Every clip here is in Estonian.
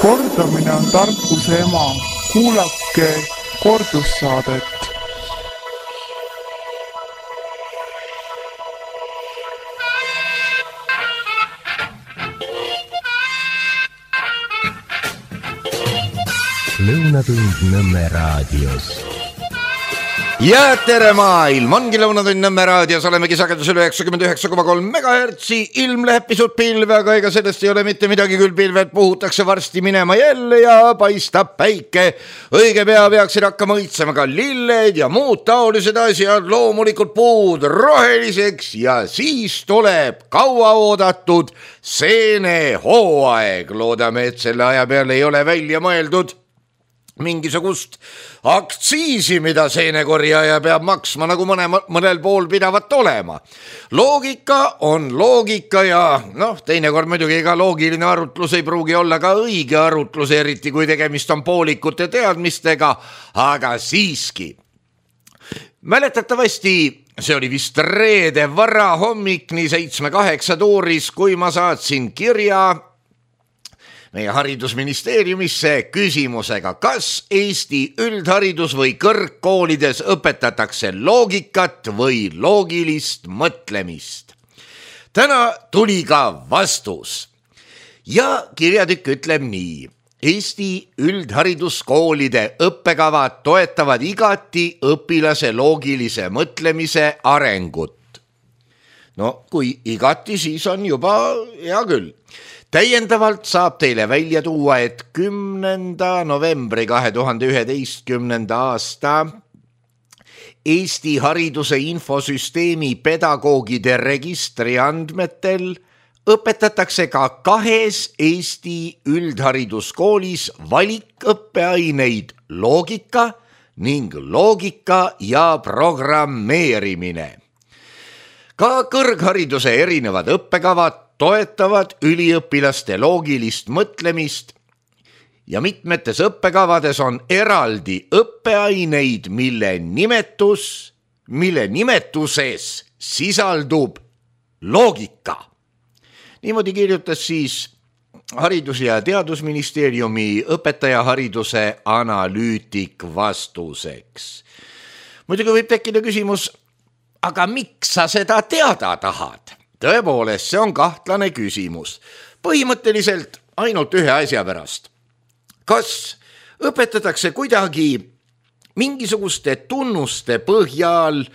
Kordamine on tarkuse ema. Kuulake kordussaadet. Lõunatund Nõmme raadios. Ja tere maailm, ongi Lõunatund Nõmme raadios, olemegi sagedusel 99,3 MHz, ilm läheb pisut pilve, aga ega sellest ei ole mitte midagi, küll pilved puhutakse varsti minema jälle ja paistab päike. Õige pea peaksid hakkama õitsema ka lilled ja muud taolised asjad, loomulikult puud roheliseks ja siis tuleb kauaoodatud seenehooaeg. Loodame, et selle aja peale ei ole välja mõeldud mingisugust aktsiisi, mida seenekorjaja peab maksma, nagu mõnel pool pidavat olema. Loogika on loogika ja teinekord muidugi ega loogiline arutlus ei pruugi olla ka õige arutlus, eriti kui tegemist on poolikute teadmistega, aga siiski. Mäletatavasti see oli vist reede varahommik, nii 7-8 tuuris, kui ma saatsin kirja meie haridusministeeriumisse küsimusega, kas Eesti üldharidus või kõrgkoolides õpetatakse loogikat või loogilist mõtlemist. Täna tuli ka vastus ja kirjatükk ütleb nii. Eesti üldhariduskoolide õppekavad toetavad igati õpilase loogilise mõtlemise arengut. No kui igati, siis on juba hea küll. Täiendavalt saab teile välja tuua, et 10. novembri 2011. aasta Eesti hariduse infosüsteemi pedagoogide registri andmetel õpetatakse ka 2 Eesti üldhariduskoolis valikõppeaineid loogika ning loogika ja programmeerimine. Ka kõrghariduse erinevad õppekavad toetavad üliõpilaste loogilist mõtlemist ja mitmetes õppekavades on eraldi õppeaineid, mille nimetuses sisaldub loogika. Niimoodi kirjutas siis Haridus- ja Teadusministeeriumi õpetajahariduse analüütik vastuseks. Muidugi võib tekkida küsimus, aga miks sa seda teada tahad? Tõepoolest, see on kahtlane küsimus. Põhimõtteliselt ainult ühe asja pärast. Kas õpetatakse kuidagi mingisuguste tunnuste põhjal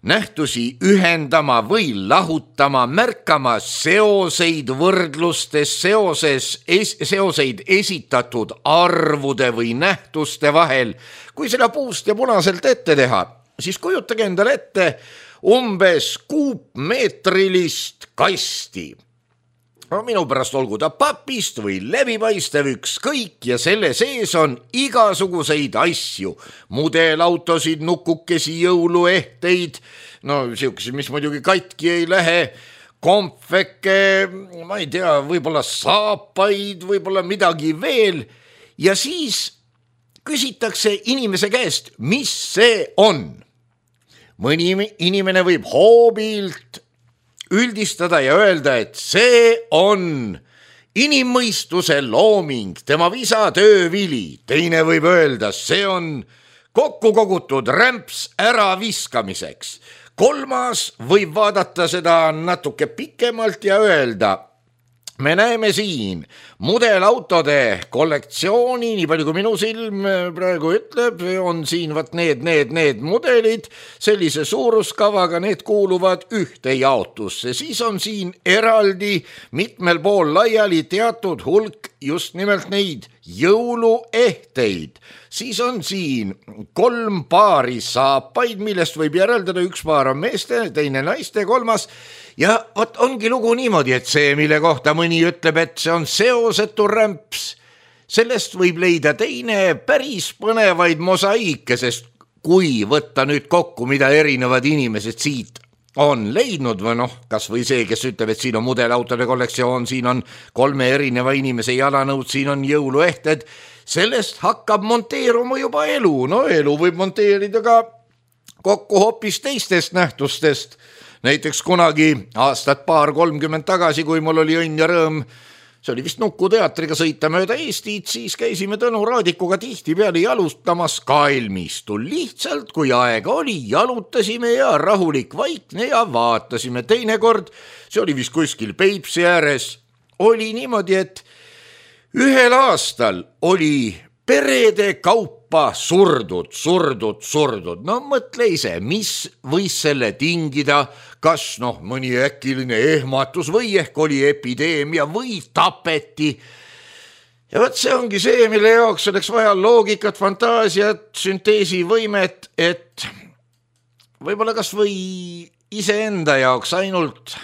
nähtusi ühendama või lahutama, märkama seoseid võrdlustes, seoseid esitatud arvude või nähtuste vahel? Kui seda puust ja punaselt ette teha, siis kujutage endale ette umbes kuupmeetrilist kasti. Minu pärast olgu ta papist või läbipaistev ükskõik ja selle sees on igasuguseid asju. Mudelautosid, nukukesi, jõuluehteid, siukesi, mis muidugi katki ei lähe, kompveke, ma ei tea, võib-olla saapaid, võib-olla midagi veel. Ja siis küsitakse inimese käest, mis see on. Mõni inimene võib hoobilt üldistada ja öelda, et see on inimmõistuse looming, tema visa töövili. Teine võib öelda, see on kokku kogutud rämps ära viskamiseks. Kolmas võib vaadata seda natuke pikemalt ja öelda, me näeme siin mudelautode kollektsiooni, nii palju kui minu silm praegu ütleb, on siin need mudelid, sellise suuruskavaga, need kuuluvad ühte jaotusse. Siis on siin eraldi mitmel pool laiali teatud hulk just nimelt neid jõuluehteid. Siis on siin 3 paari saapaid, millest võib järeldada, 1 paar on meeste, teine naiste, 3. Ja ongi lugu niimoodi, et see, mille kohta mõni ütleb, et see on seosetu rämps, sellest võib leida teine päris põnevaid mosaiike, sest kui võtta nüüd kokku, mida erinevad inimesed siit on leidnud või kas või see, kes ütleb, et siin on mudelautode kollektsioon, siin on 3 erineva inimese jalanõud, siin on jõuluehted, sellest hakkab monteeruma juba elu. Elu võib monteerida ka kokku hoopis teistest nähtustest. Näiteks kunagi aastat 30 tagasi, kui mul oli õnn ja rõõm see oli vist Nukuteatriga sõita mööda Eestit, siis käisime Tõnu Raadikuga tihtipeale jalutamas kalmistul. Lihtsalt, kui aega oli, jalutasime ja rahulik vaikne ja vaatasime. Teinekord, see oli vist kuskil Peipsi ääres, oli niimoodi, et ühel aastal oli perede kaupa surdud. No mõtle ise, mis võis selle tingida, kas mõni äkiline ehmatus või ehk oli epideemia või tapeti. Ja võt see ongi see, mille jaoks oleks vaja loogikat, fantaasiat, sünteesivõimet, et võib-olla kas või iseenda jaoks ainult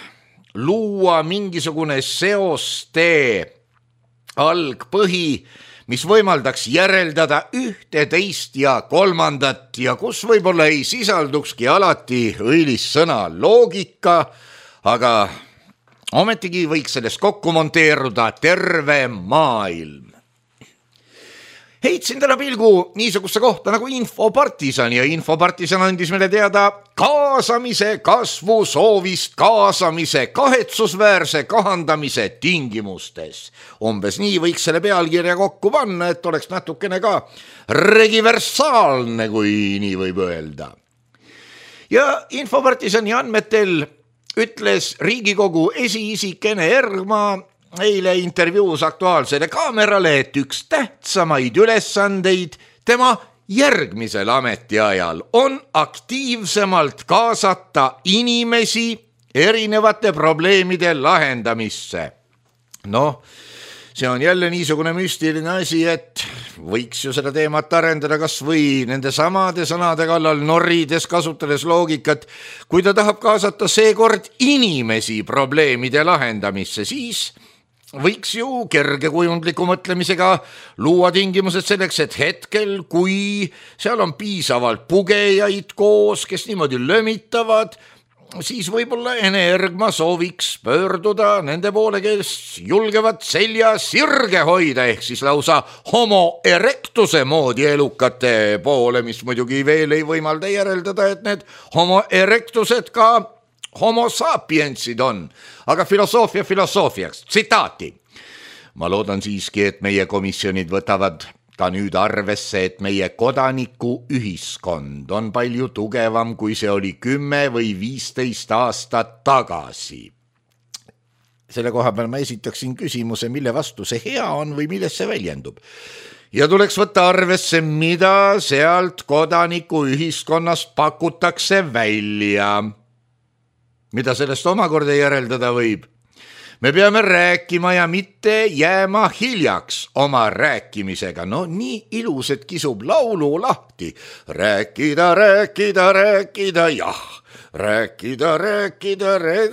luua mingisugune seostee algpõhi, mis võimaldaks järeldada ühte, teist ja kolmandat ja kus võib-olla ei sisaldukski alati õilis sõna loogika, aga ometigi võiks sellest kokku monteeruda terve maailm. Heitsin täna pilgu niisugusse kohta nagu Infopartisan ja Infopartisan andis meile teada kaasamise kasvu soovist kaasamise kahetsusväärse kahandamise tingimustes. Umbes nii võiks selle pealkirja kokku panna, et oleks natukene ka regiversaalne, kui nii võib öelda. Ja Infopartisani andmetel ütles Riigikogu esiisik Ene Ergma eile intervjuus Aktuaalsele Kaamerale, et üks tähtsamaid ülesandeid tema järgmisel ametiajal on aktiivsemalt kaasata inimesi erinevate probleemide lahendamisse. See on jälle niisugune müstiline asi, et võiks ju seda teemat arendada kas või nende samade sõnade kallal norrides, kasutades loogikat. Kui ta tahab kaasata seekord inimesi probleemide lahendamisse, siis võiks ju kergekujundliku mõtlemisega luua tingimused selleks, et hetkel, kui seal on piisavalt pugejaid koos, kes niimoodi lömitavad, siis võib-olla Ene Ergma sooviks pöörduda nende poole, kes julgevad selja sirge hoida, ehk siis lausa homo erectuse moodi elukate poole, mis muidugi veel ei võimalda järeldada, et need homo erectused ka homo sapiensid on, aga filosoofiaks, tsitaati. Ma loodan siiski, et meie komisjonid võtavad ka nüüd arvesse, et meie kodaniku ühiskond on palju tugevam, kui see oli 10 või 15 aastat tagasi. Selle koha peal ma esitaksin küsimuse, mille vastu see hea on või milles see väljendub. Ja tuleks võtta arvesse, mida sealt kodaniku ühiskonnast pakutakse välja. Mida sellest omakorda järeldada võib? Me peame rääkima ja mitte jääma hiljaks oma rääkimisega. Nii ilus, et kisub laulu lahti. Rääkida, jah. Rääkida.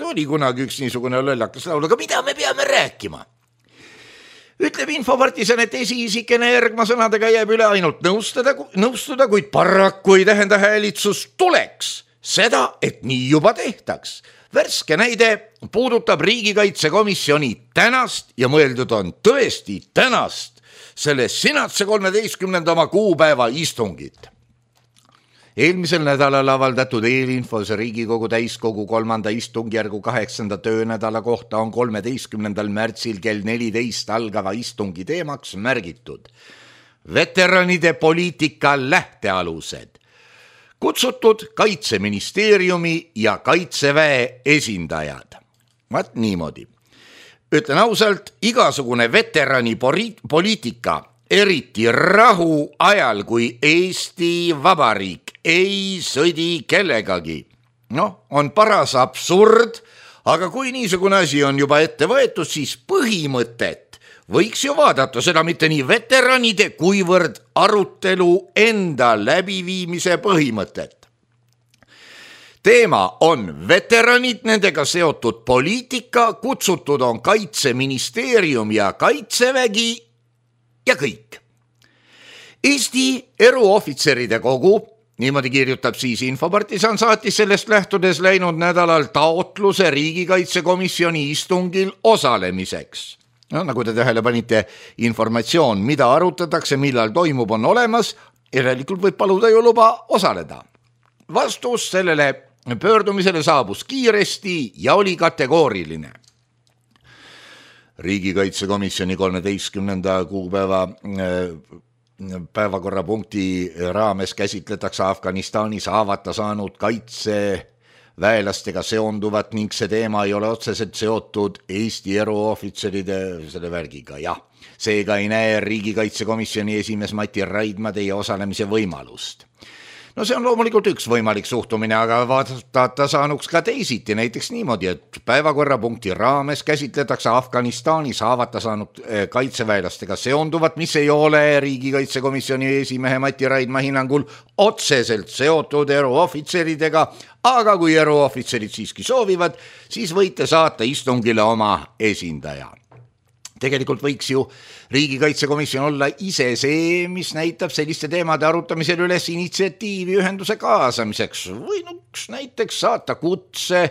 Oli kunagi üks niisugune lollakas laul, aga mida me peame rääkima? Ütleb Infopartisan, et esiisik Ene Ergma sõnadega jääb üle ainult nõustuda, kuid paraku ei tähenda häälitsus tuleks seda, et nii juba tehtaks. Värske näide puudutab riigikaitsekomisjoni tänast ja mõeldud on tõesti tänast, selle sinatse 13. kuupäeva istungit. Eelmisel nädalal avaldatud eelinfos Riigikogu täiskogu 3. istungjärgu 8. töönädala kohta on 13. märtsil kell 14 algava istungi teemaks märgitud veteranide poliitika lähtealused. Kutsutud Kaitseministeeriumi ja Kaitseväe esindajad. Vaat niimoodi. Ütlen ausalt, igasugune veterani poliitika, eriti rahu ajal, kui Eesti Vabariik ei sõdi kellegagi. On paras absurd, aga kui niisugune asi on juba ette võetud, siis põhimõtet võiks ju vaadata seda mitte nii veteranide, kuivõrd arutelu enda läbiviimise põhimõtet. Teema on veteranid, nendega seotud poliitika, kutsutud on Kaitseministeerium ja Kaitsevägi ja kõik. Eesti eruohvitseride kogu, niimoodi kirjutab siis Infopartisan, saatis sellest lähtudes läinud nädalal taotluse riigikaitsekomisjoni istungil osalemiseks. Nagu te tähele panite, informatsioon, mida arutatakse, millal toimub, on olemas, järelikult võib paluda ju luba osaleda. Vastus sellele pöördumisele saabus kiiresti ja oli kategooriline. riigikaitsekomisjoni 13. kuupäeva päevakorrapunkti raames käsitletakse Afganistanis haavata saanud kaitseväelastega seonduvat ning see teema ei ole otseselt seotud Eesti eruohvitseride selle värgiga, jah. Seega ei näe riigikaitsekomisjoni esimees Mati Raidma teie osalemise võimalust. No see on loomulikult üks võimalik suhtumine, aga vaadata saanuks ka teisiti, näiteks niimoodi, et päevakorrapunkti raames käsitletakse Afganistanis haavata saanud kaitseväelastega seonduvat, mis ei ole riigikaitsekomisjoni esimehe Mati Raidma hinnangul otseselt seotud eruohvitseridega, aga kui eruohvitserid siiski soovivad, siis võite saata istungile oma esindaja. Tegelikult võiks ju riigikaitsekomisjon olla ise see, mis näitab selliste teemade arutamisel üles initsiatiivi ühenduse kaasamiseks või näiteks saata kutse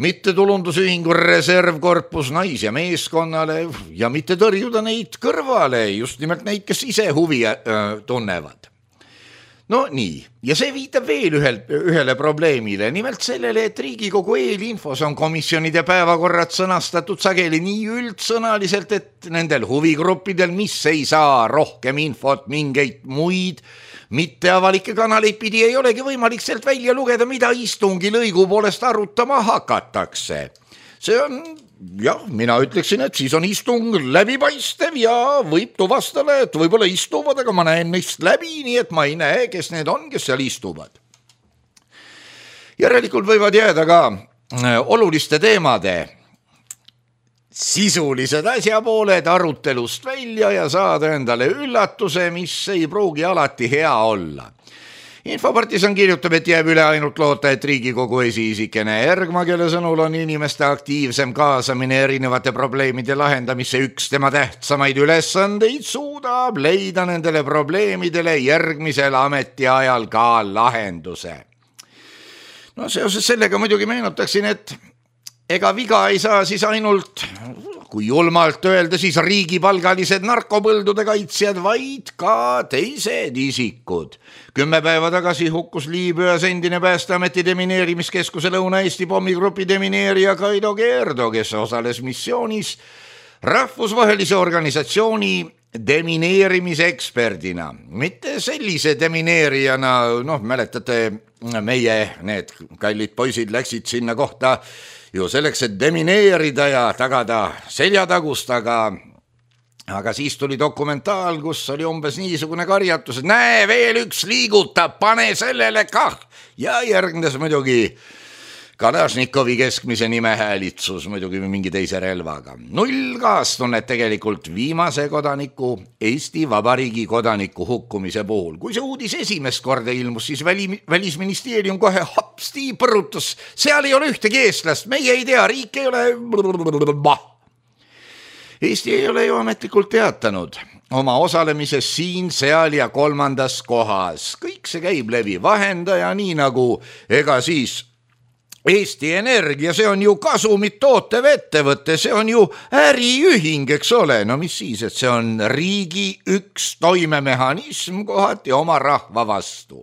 mittetulundusühingu reservkorpus nais- ja meeskonnale ja mitte tõrjuda neid kõrvale, just nimelt neid, kes ise huvi tunnevad. No nii, ja see viitab veel ühele probleemile, nimelt sellele, et Riigikogu eelinfos on komisjonide päevakorrad sõnastatud sageli nii üldsõnaliselt, et nendel huvigruppidel, mis ei saa rohkem infot mingeid muid mitteavalikke kanaleid pidi, ei olegi võimalik sealt välja lugeda, mida istungi lõigu poolest arutama hakatakse. See on, jah, mina ütleksin, et siis on istung läbipaistev ja võib tuvastada, et võib-olla istuvad, aga ma näen neist läbi, nii et ma ei näe, kes need on, kes seal istuvad. Järelikult võivad jääda ka oluliste teemade sisulised asjapooled arutelust välja ja saada endale üllatuse, mis ei pruugi alati hea olla. Infopartisan kirjutab, et jääb üle ainult loota, et Riigikogu esiisikene Ergma, kelle sõnul on inimeste aktiivsem kaasamine erinevate probleemide lahendamisse üks tema tähtsamaid ülesandeid, suudab leida nendele probleemidele järgmisel ametiajal ka lahenduse. No seoses sellega muidugi meenutaksin, et ega viga ei saa siis ainult, kui julmalt öelda, siis riigipalgalised narkopõldude kaitsjad, vaid ka teised isikud. 10 päeva tagasi hukkus Liibüas endine Päästeameti demineerimiskeskuse Lõuna-Eesti pommigrupi demineerija Kaido Gerdo, kes osales missioonis rahvusvahelise organisatsiooni demineerimise eksperdina. Mitte sellise demineerijana, mäletate, meie need kallid poisid läksid sinna kohta ju selleks, et demineerida ja tagada seljatagust, aga siis tuli dokumentaal, kus oli umbes niisugune karjatus, et näe, veel üks liigutab, pane sellele kah. Ja järgnes muidugi Kalašnikovi keskmise nime häälitsus, muidugi mingi teise relvaga. Null kaastunnet tegelikult viimase kodaniku, Eesti Vabariigi kodaniku hukkumise puhul. Kui see uudis esimest korda ilmus, siis välisministeerium kohe hapsti põrutus. Seal ei ole ühtegi eestlast, meie ei tea, riik ei ole... Eesti ei ole ju ametlikult teatanud oma osalemises siin, seal ja 3. kohas. Kõik see käib läbi vahendaja, nii nagu ega siis... Eesti Energia, see on ju kasumit tootev ettevõte, see on ju äriühing, eks ole, no mis siis, et see on riigi üks toimemehhanism kohati oma rahva vastu.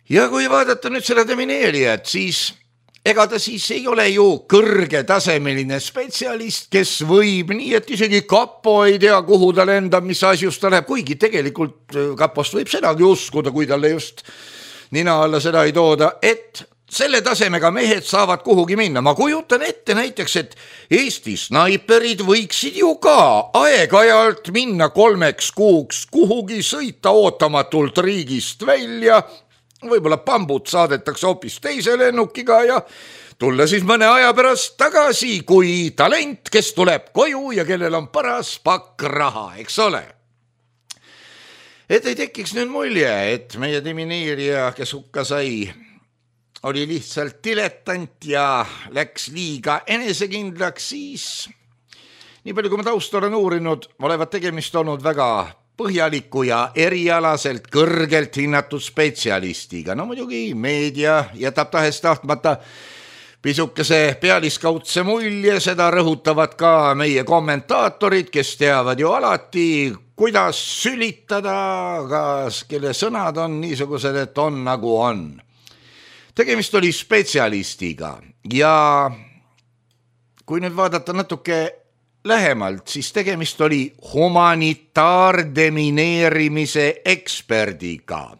Ja kui vaadata nüüd selle demineerijat, siis ega ta siis ei ole ju kõrgetasemeline spetsialist, kes võib nii, et isegi kapo ei tea, kuhu ta lendab, mis asjus ta läheb, kuigi tegelikult kapost võib sedagi uskuda, kui talle just nina alla seda ei tooda, et selle tasemega mehed saavad kuhugi minna. Ma kujutan ette näiteks, et Eesti snaiperid võiksid ju ka aeg-ajalt minna 3 kuuks kuhugi, sõita ootamatult riigist välja, võib-olla pambud saadetakse hoopis teise lennukiga ja tulla siis mõne aja pärast tagasi kui talent, kes tuleb koju ja kellel on paras pakk raha, eks ole. Et ei tekiks nüüd mulje, et meie demineerija, kes hukka sai, oli lihtsalt dilettant ja läks liiga enesekindlaks, siis nii palju kui ma tausta olen uurinud, olevat tegemist olnud väga põhjaliku ja erialaselt kõrgelt hinnatud spetsialistiga. No muidugi meedia jätab tahes-tahtmata pisukese pealiskaudse mulje, seda rõhutavad ka meie kommentaatorid, kes teavad ju alati, kuidas sülitada, kas kelle sõnad on niisugused, et on nagu on. Tegemist oli spetsialistiga ja kui nüüd vaadata natuke lähemalt, siis tegemist oli humanitaardemineerimise eksperdiga.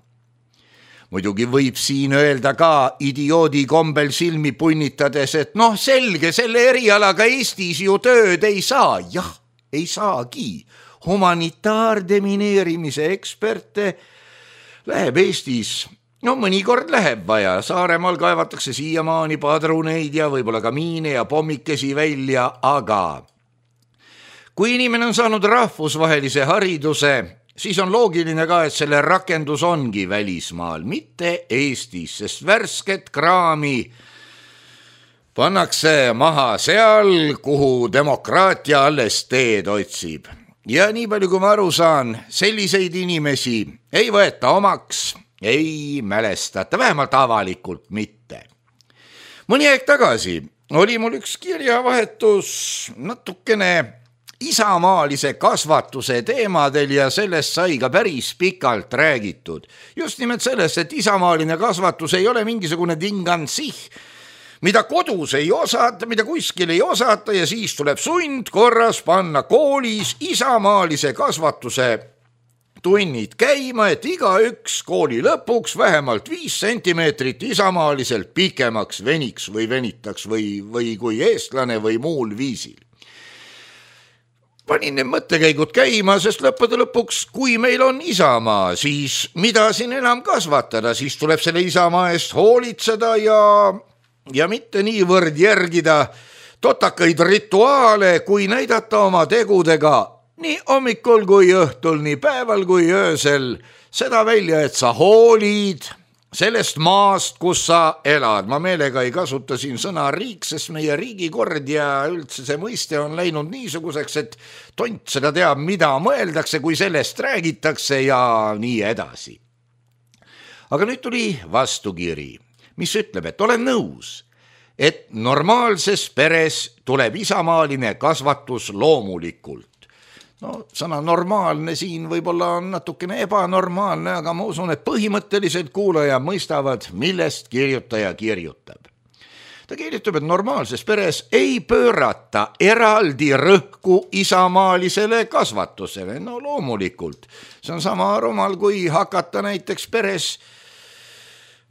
Muidugi võib siin öelda ka idioodi kombel silmi punnitades, et selge, selle erialaga Eestis ju tööd ei saa. Jah, ei saagi. Humanitaardemineerimise eksperte läheb Eestis, mõnikord läheb vaja. Saaremaal kaevatakse siiamaani padruneid ja võib-olla ka miine ja pommikesi välja, aga kui inimene on saanud rahvusvahelise hariduse, siis on loogiline ka, et selle rakendus ongi välismaal, mitte Eestis, sest värsket kraami pannakse maha seal, kuhu demokraatia alles teed otsib. Ja nii palju, kui ma aru saan, selliseid inimesi ei võeta omaks, ei mälestata, vähemalt avalikult mitte. Mõni aeg tagasi oli mul üks kirjavahetus natukene isamaalise kasvatuse teemadel ja sellest sai ka päris pikalt räägitud. Just nimelt sellest, et isamaaline kasvatus ei ole mingisugune dingansih, mida kodus ei osata, mida kuskil ei osata ja siis tuleb sundkorras panna koolis isamaalise kasvatuse tunnid käima, et igaüks kooli lõpuks vähemalt 5 sentimeetrit isamaaliselt pikemaks veniks või venitaks või kui eestlane või muul viisil. Panin need mõttekäigud käima, sest lõppude lõpuks, kui meil on isamaa, siis mida siin enam kasvatada, siis tuleb selle isamaa eest hoolitseda ja mitte niivõrd järgida totakaid rituaale, kui näidata oma tegudega nii hommikul kui õhtul, nii päeval kui öösel seda välja, et sa hoolid sellest maast, kus sa elad. Ma meelega ei kasuta siin sõna riik, sest meie riigikord ja üldse see mõiste on läinud niisuguseks, et tont seda teab, mida mõeldakse, kui sellest räägitakse ja nii edasi. Aga nüüd tuli vastukiri, mis ütleb, et olen nõus, et normaalses peres tuleb isamaaline kasvatus loomulikult. Sõna normaalne siin võib-olla on natukene ebanormaalne, aga ma usun, et põhimõtteliselt kuulaja mõistavad, millest kirjutaja kirjutab. Ta kirjutab, et normaalses peres ei pöörata eraldi rõhku isamaalisele kasvatusele. Loomulikult, see on sama rumal, kui hakata näiteks peres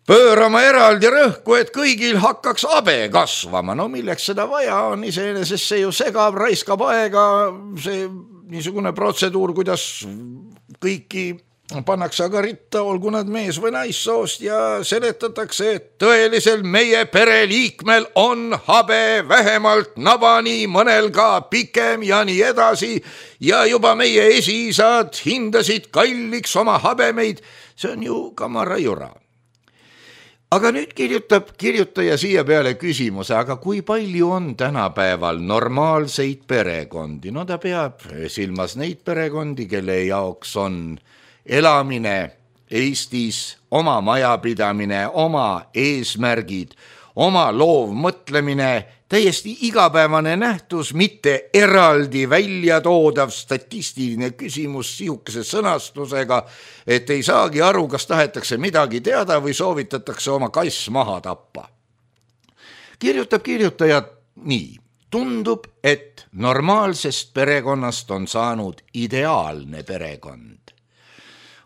pöörama eraldi rõhku, et kõigil hakkaks abe kasvama. Milleks seda vaja on, iseenesest see ju segab, raiskab aega, see niisugune protseduur, kuidas kõiki pannakse aga ritta, olgu nad mees või naissoost ja seletatakse, et tõelisel meie pereliikmel on habe vähemalt nabani, mõnel ka pikem ja nii edasi ja juba meie esiisad hindasid kalliks oma habemeid. See on ju kamara jura. Aga nüüd kirjutab kirjutaja siia peale küsimuse, aga kui palju on tänapäeval normaalseid perekondi? Ta peab silmas neid perekondi, kelle jaoks on elamine Eestis, oma majapidamine, oma eesmärgid, oma loovmõtlemine, täiesti igapäevane nähtus, mitte eraldi välja toodav statistiline küsimus sihukese sõnastusega, et ei saagi aru, kas tahetakse midagi teada või soovitatakse oma kass maha tappa. Kirjutab kirjutaja nii. Tundub, et normaalsest perekonnast on saanud ideaalne perekond.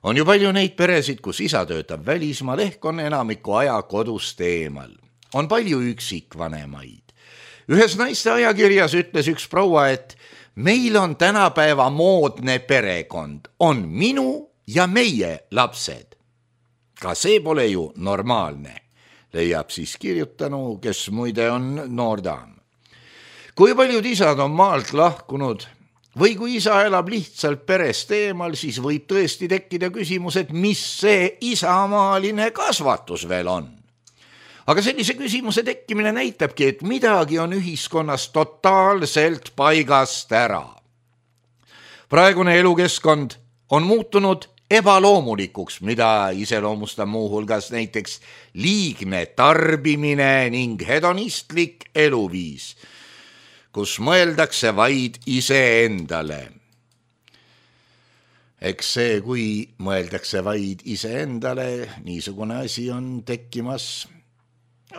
On ju palju neid peresid, kus isa töötab välismaal, ehk on enamiku aja kodust eemal. On palju üksikvanemaid. Ühes naiste ajakirjas ütles üks proua, et meil on tänapäeva moodne perekond, on minu ja meie lapsed. Ka see pole ju normaalne, leiab siis kirjutanu, kes muide on noor daam. Kui paljud isad on maalt lahkunud või kui isa elab lihtsalt perest eemal, siis võib tõesti tekkida küsimus, et mis see isamaaline kasvatus veel on. Aga sellise küsimuse tekkimine näitabki, et midagi on ühiskonnas totaalselt paigast ära. Praegune elukeskkond on muutunud ebaloomulikuks, mida iseloomustab muuhulgas näiteks liigne tarbimine ning hedonistlik eluviis, kus mõeldakse vaid iseendale. Eks see, kui mõeldakse vaid iseendale, niisugune asi on tekkimas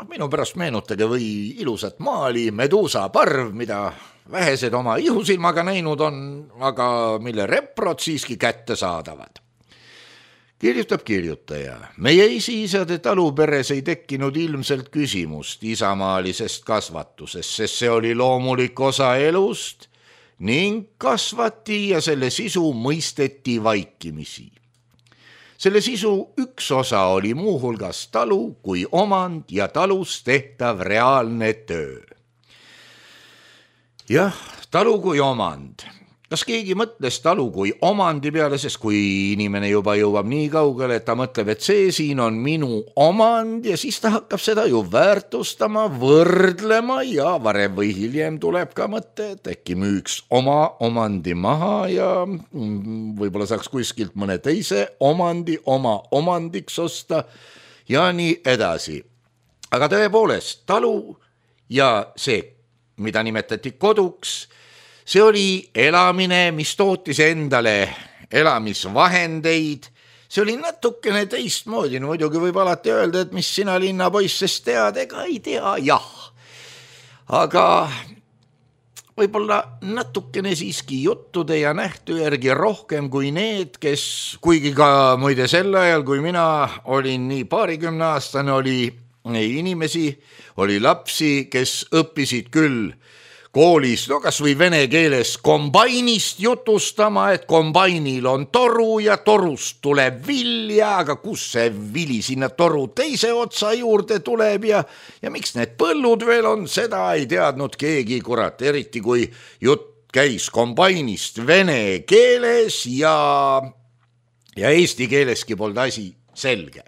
minu pärast meenutage või ilusat maali Medusa parv, mida vähesed oma ihusilmaga näinud on, aga mille reprod siiski kätte saadavad. Kirjutab kirjutaja. Meie esiisade taluperes ei tekkinud ilmselt küsimust isamaalisest kasvatusest, sest see oli loomulik osa elust ning kasvati ja selle sisu mõisteti vaikimisi. Selle sisu üks osa oli muuhulgas talu kui omand ja talus tehtav reaalne töö. Jah, talu kui omand. Kas keegi mõtles talu kui omandi peale, sest kui inimene juba jõuab nii kaugele, et ta mõtleb, et see siin on minu omand ja siis ta hakkab seda ju väärtustama, võrdlema ja varem või hiljem tuleb ka mõte, et äkki müüks oma omandi maha ja võib-olla saaks kuskilt mõne teise omandi oma omandiks osta ja nii edasi. Aga tõepoolest, talu ja see, mida nimetati koduks, see oli elamine, mis tootis endale elamisvahendeid. See oli natukene teistmoodi. No muidugi võib alati öelda, et mis sina linnapoissest tead, ega ei tea, jah. Aga võib-olla natukene siiski juttude ja nähtu järgi rohkem kui need, kes, kuigi ka muide sel ajal, kui mina olin nii 20-aastane, oli inimesi, oli lapsi, kes õppisid küll koolis, no kas või vene keeles kombainist jutustama, et kombainil on toru ja torust tuleb vilja, aga kus see vili sinna toru teise otsa juurde tuleb ja miks need põllud veel on, seda ei teadnud keegi, kurat, eriti kui jutt käis kombainist vene keeles ja eesti keeleski polnud asi selge.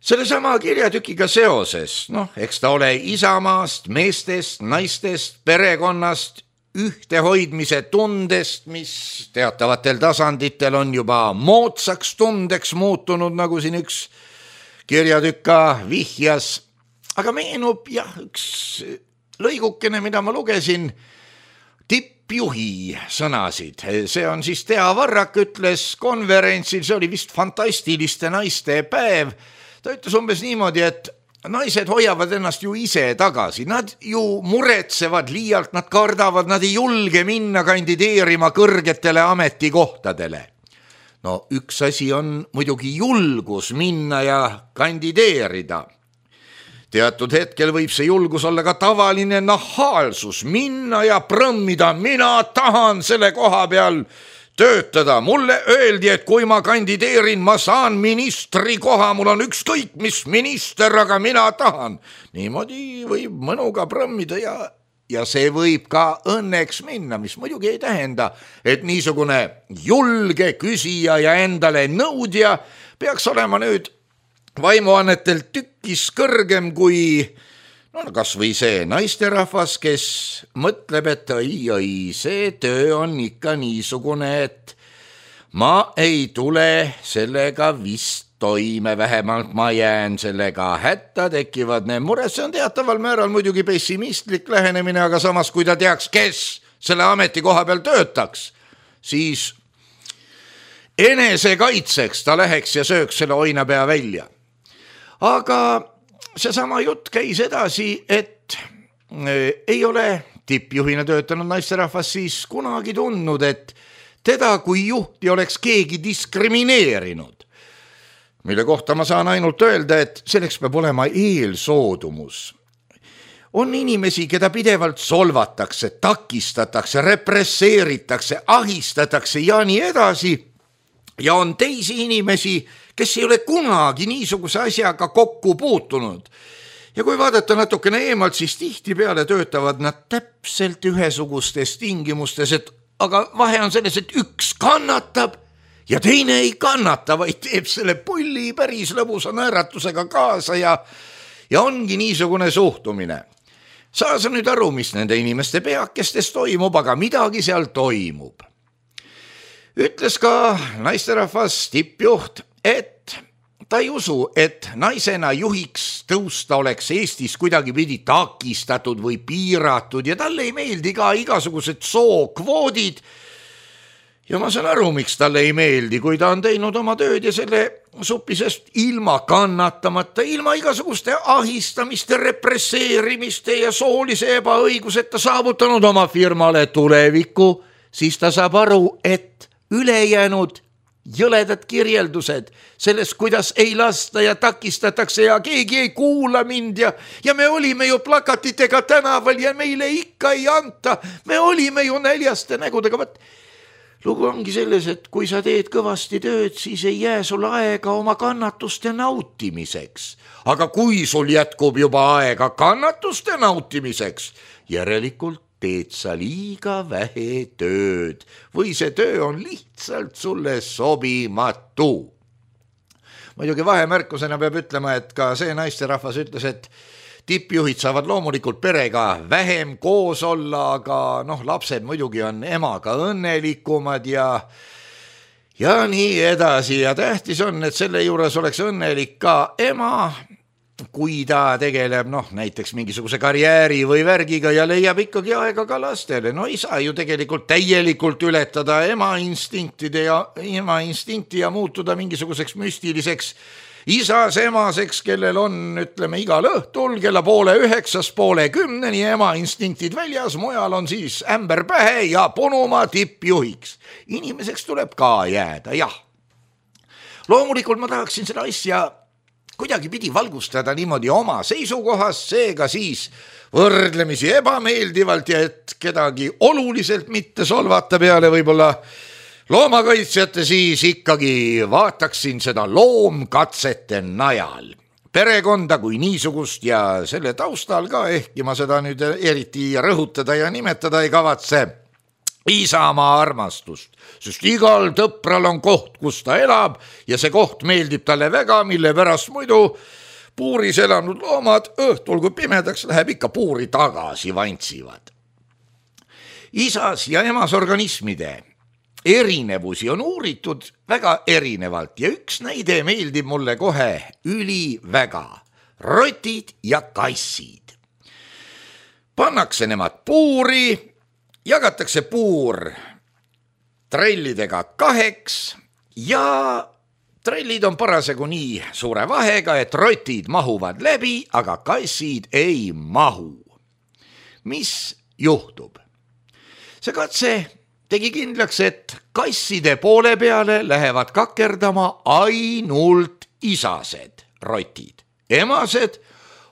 Selle sama kirjatükiga seoses, eks ta ole isamaast, meestest, naistest, perekonnast, ühtehoidmise tundest, mis teatavatel tasanditel on juba moodsaks tundeks muutunud, nagu siin üks kirjatükka vihjas. Aga meenub üks lõigukene, mida ma lugesin, tippjuhi sõnasid. See on siis Tea Varrak ütles konverentsil, see oli vist fantastiliste naiste päev. Ta ütles umbes niimoodi, et naised hoiavad ennast ju ise tagasi, nad ju muretsevad liialt, nad kardavad, nad ei julge minna kandideerima kõrgetele ametikohtadele. No üks asi on muidugi julgus minna ja kandideerida. Teatud hetkel võib see julgus olla ka tavaline nahaalsus, minna ja prõmmida, mina tahan selle koha peal töötada. Mulle öeldi, et kui ma kandideerin, ma saan ministri koha, mul on ükskõik mis minister, aga mina tahan. Niimoodi võib mõnuga prõmmida ja see võib ka õnneks minna, mis muidugi ei tähenda, et niisugune julge küsija ja endale nõudja peaks olema nüüd vaimuannetelt tükkis kõrgem kui kas või see naisterahvas, kes mõtleb, et oi, see töö on ikka niisugune, et ma ei tule sellega vist toime, vähemalt ma jään sellega hätta, tekivad need mured. See on teataval määral muidugi pessimistlik lähenemine, aga samas, kui ta teaks, kes selle ametikoha peal töötaks, siis enesekaitseks ta läheks ja sööks selle oinapea välja. Aga seesama jutt käis edasi, et ei ole tippjuhina töötanud naisterahvas siis kunagi tundnud, et teda kui juhti oleks keegi diskrimineerinud. Mille kohta ma saan ainult öelda, et selleks peab olema eelsoodumus. On inimesi, keda pidevalt solvatakse, takistatakse, represseeritakse, ahistatakse ja nii edasi. Ja on teisi inimesi, kes ei ole kunagi niisuguse asjaga kokku puutunud. Ja kui vaadata natukene eemalt, siis tihtipeale töötavad nad täpselt ühesugustes tingimustes, aga vahe on selles, et üks kannatab ja teine ei kannata, vaid teeb selle pulli päris lõbusa naeratusega kaasa ja ongi niisugune suhtumine. Saa sa nüüd aru, mis nende inimeste peakestes toimub, aga midagi seal toimub. Ütles ka naisterahvas tippjuht, et ta ei usu, et naisena juhiks tõusta oleks Eestis kuidagi pidi takistatud või piiratud ja talle ei meeldi ka igasugused sookvoodid ja ma saan aru, miks talle ei meeldi, kui ta on teinud oma tööd ja selle supisest ilma kannatamata, ilma igasuguste ahistamiste, represseerimiste ja soolise ebaõiguseta saavutanud oma firmale tuleviku, siis ta saab aru, et ülejäänud jõledad kirjeldused sellest, kuidas ei lasta ja takistatakse ja keegi ei kuula mind ja me olime ju plakatitega tänaval ja meile ikka ei anta, me olime ju näljaste nägudega, võt. Lugu ongi selles, et kui sa teed kõvasti tööd, siis ei jää sul aega oma kannatuste nautimiseks. Aga kui sul jätkub juba aega kannatuste nautimiseks, järelikult teed sa liiga vähe tööd või see töö on lihtsalt sulle sobimatu. Muidugi vahemärkusena peab ütlema, et ka see naisterahvas ütles, et tippjuhid saavad loomulikult perega vähem koos olla, aga lapsed muidugi on emaga õnnelikumad ja nii edasi. Ja tähtis on, et selle juures oleks õnnelik ka ema, kui ta tegeleb näiteks mingisuguse karjääri või värgiga ja leiab ikkagi aega ka lastele. Ei saa ju tegelikult täielikult ületada ema instinkti ja muutuda mingisuguseks müstiliseks isas emaseks, kellel on, ütleme, igal õhtul kella 8:30, 9:10 ema instinktid väljas, mujal on siis ämber pähe ja punuma tippjuhiks. Inimeseks tuleb ka jääda, jah. Loomulikult ma tahaksin seda asja kuidagi pidi valgustada niimoodi oma seisukohast, seega siis võrdlemisi ebameeldivalt ja et kedagi oluliselt mitte solvata peale võib-olla loomakaitsjate, siis ikkagi vaataksin seda loomkatsete najal. Perekonda kui niisugust ja selle taustal ka, ehkki ma seda nüüd eriti rõhutada ja nimetada ei kavatse, Isamaa armastust, sest igal tõpral on koht, kus ta elab ja see koht meeldib talle väga, mille pärast muidu puuris elanud loomad õhtul, kui pimedaks läheb, ikka puuri tagasi vantsivad. Isas ja emas organismide erinevusi on uuritud väga erinevalt ja üks näide meeldib mulle kohe üliväga. Rotid ja kassid. Pannakse nemad puuri, jagatakse puur trellidega 2 ja trellid on parasjagu nii suure vahega, et rotid mahuvad läbi, aga kassid ei mahu. Mis juhtub? See katse tegi kindlaks, et kasside poole peale lähevad kakerdama ainult isased rotid. Emased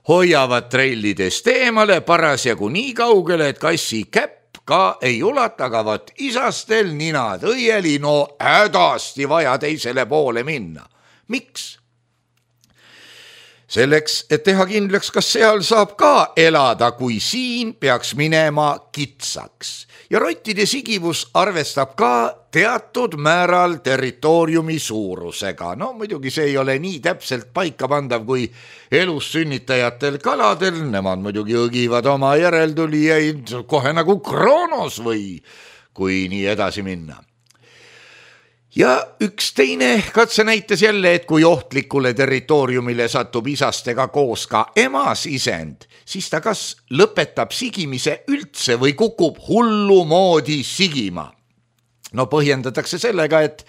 hoiavad trellidest eemale parasjagu nii kaugele, et kassi käpp ka ei ulata, aga võt isastel ninad õieli, hädasti vaja teisele poole minna. Miks? Selleks, et teha kindlaks, kas seal saab ka elada, kui siin peaks minema kitsaks. Ja rottide sigivus arvestab ka teatud määral territooriumi suurusega. Muidugi see ei ole nii täpselt paika pandav kui elus sünnitajatel kaladel. Nemad muidugi õgivad oma järeltulijaid kohe nagu Kroonos või kui nii edasi minna. Ja üks teine katse näitas jälle, et kui ohtlikule territooriumile satub isastega koos ka emas isend, siis ta kas lõpetab sigimise üldse või kukub hullu moodi sigima. Põhjendatakse sellega, et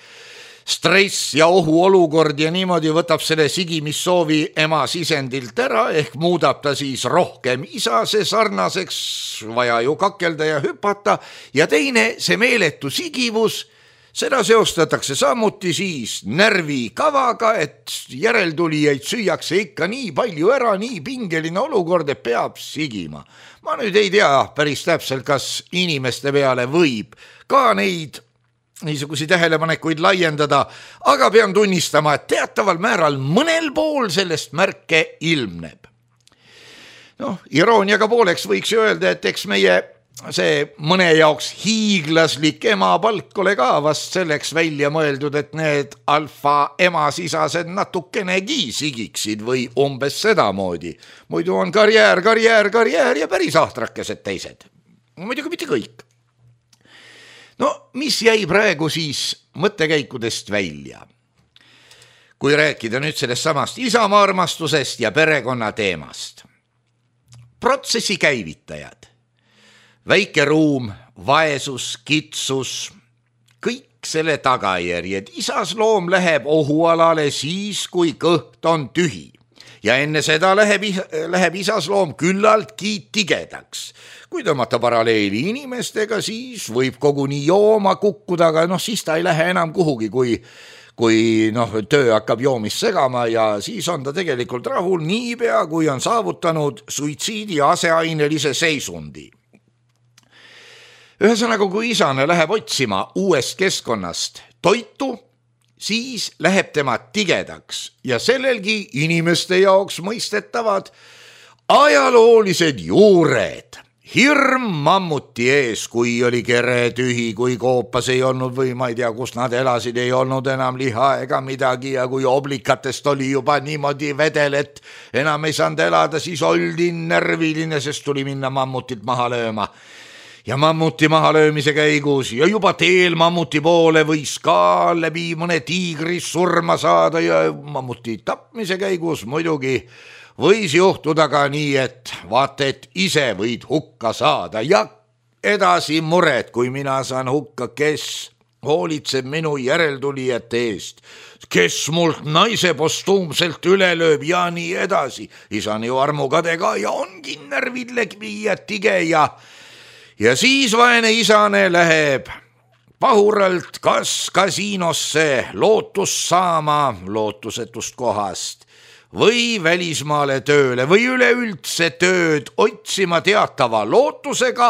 stress ja ohuolukord ja niimoodi võtab selle sigimissoovi emas isendilt ära, ehk muudab ta siis rohkem isase sarnaseks, vaja ju kakelda ja hüpata, ja teine, see meeletu sigivus, seda seostatakse samuti siis närvikavaga, et järeltulijaid süüakse ikka nii palju ära, nii pingeline olukord, et peab sigima. Ma nüüd ei tea päris täpselt, kas inimeste peale võib ka neid niisugusi tähelepanekuid laiendada, aga pean tunnistama, et teataval määral mõnel pool sellest märke ilmneb. Irooniaga pooleks võiks ju öelda, et eks meie see mõne jaoks hiiglaslik emapalk ole ka vast selleks välja mõeldud, et need alfa emasisased natukenegi sigiksid või umbes sedamoodi. Muidu on karjäär ja päris ahtrakesed teised. Muidugi mitte kõik. Mis jäi praegu siis mõttekäikudest välja? Kui rääkida nüüd sellest samast Isamaa armastusest ja perekonna teemast. Protsessi käivitajad. Väike ruum, vaesus, kitsus, kõik selle tagajärjed. Isasloom läheb ohualale siis, kui kõht on tühi. Ja enne seda läheb isasloom küllaltki tigedaks. Kui tõmmata paralleeli inimestega, siis võib koguni jooma kukkuda, aga siis ta ei lähe enam kuhugi, kui töö hakkab joomist segama ja siis on ta tegelikult rahul niipea, kui on saavutanud suitsiidi aseainelise seisundi. Ühesõnaga, kui isane läheb otsima uuest keskkonnast toitu, siis läheb tema tigedaks ja sellelgi inimeste jaoks mõistetavad ajaloolised juured. Hirm mammuti ees, kui oli kere tühi, kui koopas ei olnud või ma ei tea, kus nad elasid, ei olnud enam liha ega midagi ja kui oblikatest oli juba niimoodi vedel, et enam ei saanud elada, siis oldi närviline, sest tuli minna mammutit maha lööma. Ja mammuti mahalöömise käigus ja juba teel mammuti poole võis ka läbi mõne tiigri surma saada ja mammuti tapmise käigus muidugi võis juhtuda ka nii, et vaata, et ise võid hukka saada ja edasi mured, kui mina saan hukka, kes hoolitseb minu järeltulijate eest, kes mult naise postuumselt üle lööb ja nii edasi. Isa on ju armukade ka ja ongi närvid läbi ja tige ja siis vaene isane läheb pahuralt kas kasiinosse lootust saama lootusetust kohast või välismaale tööle või üleüldse tööd otsima teatava lootusega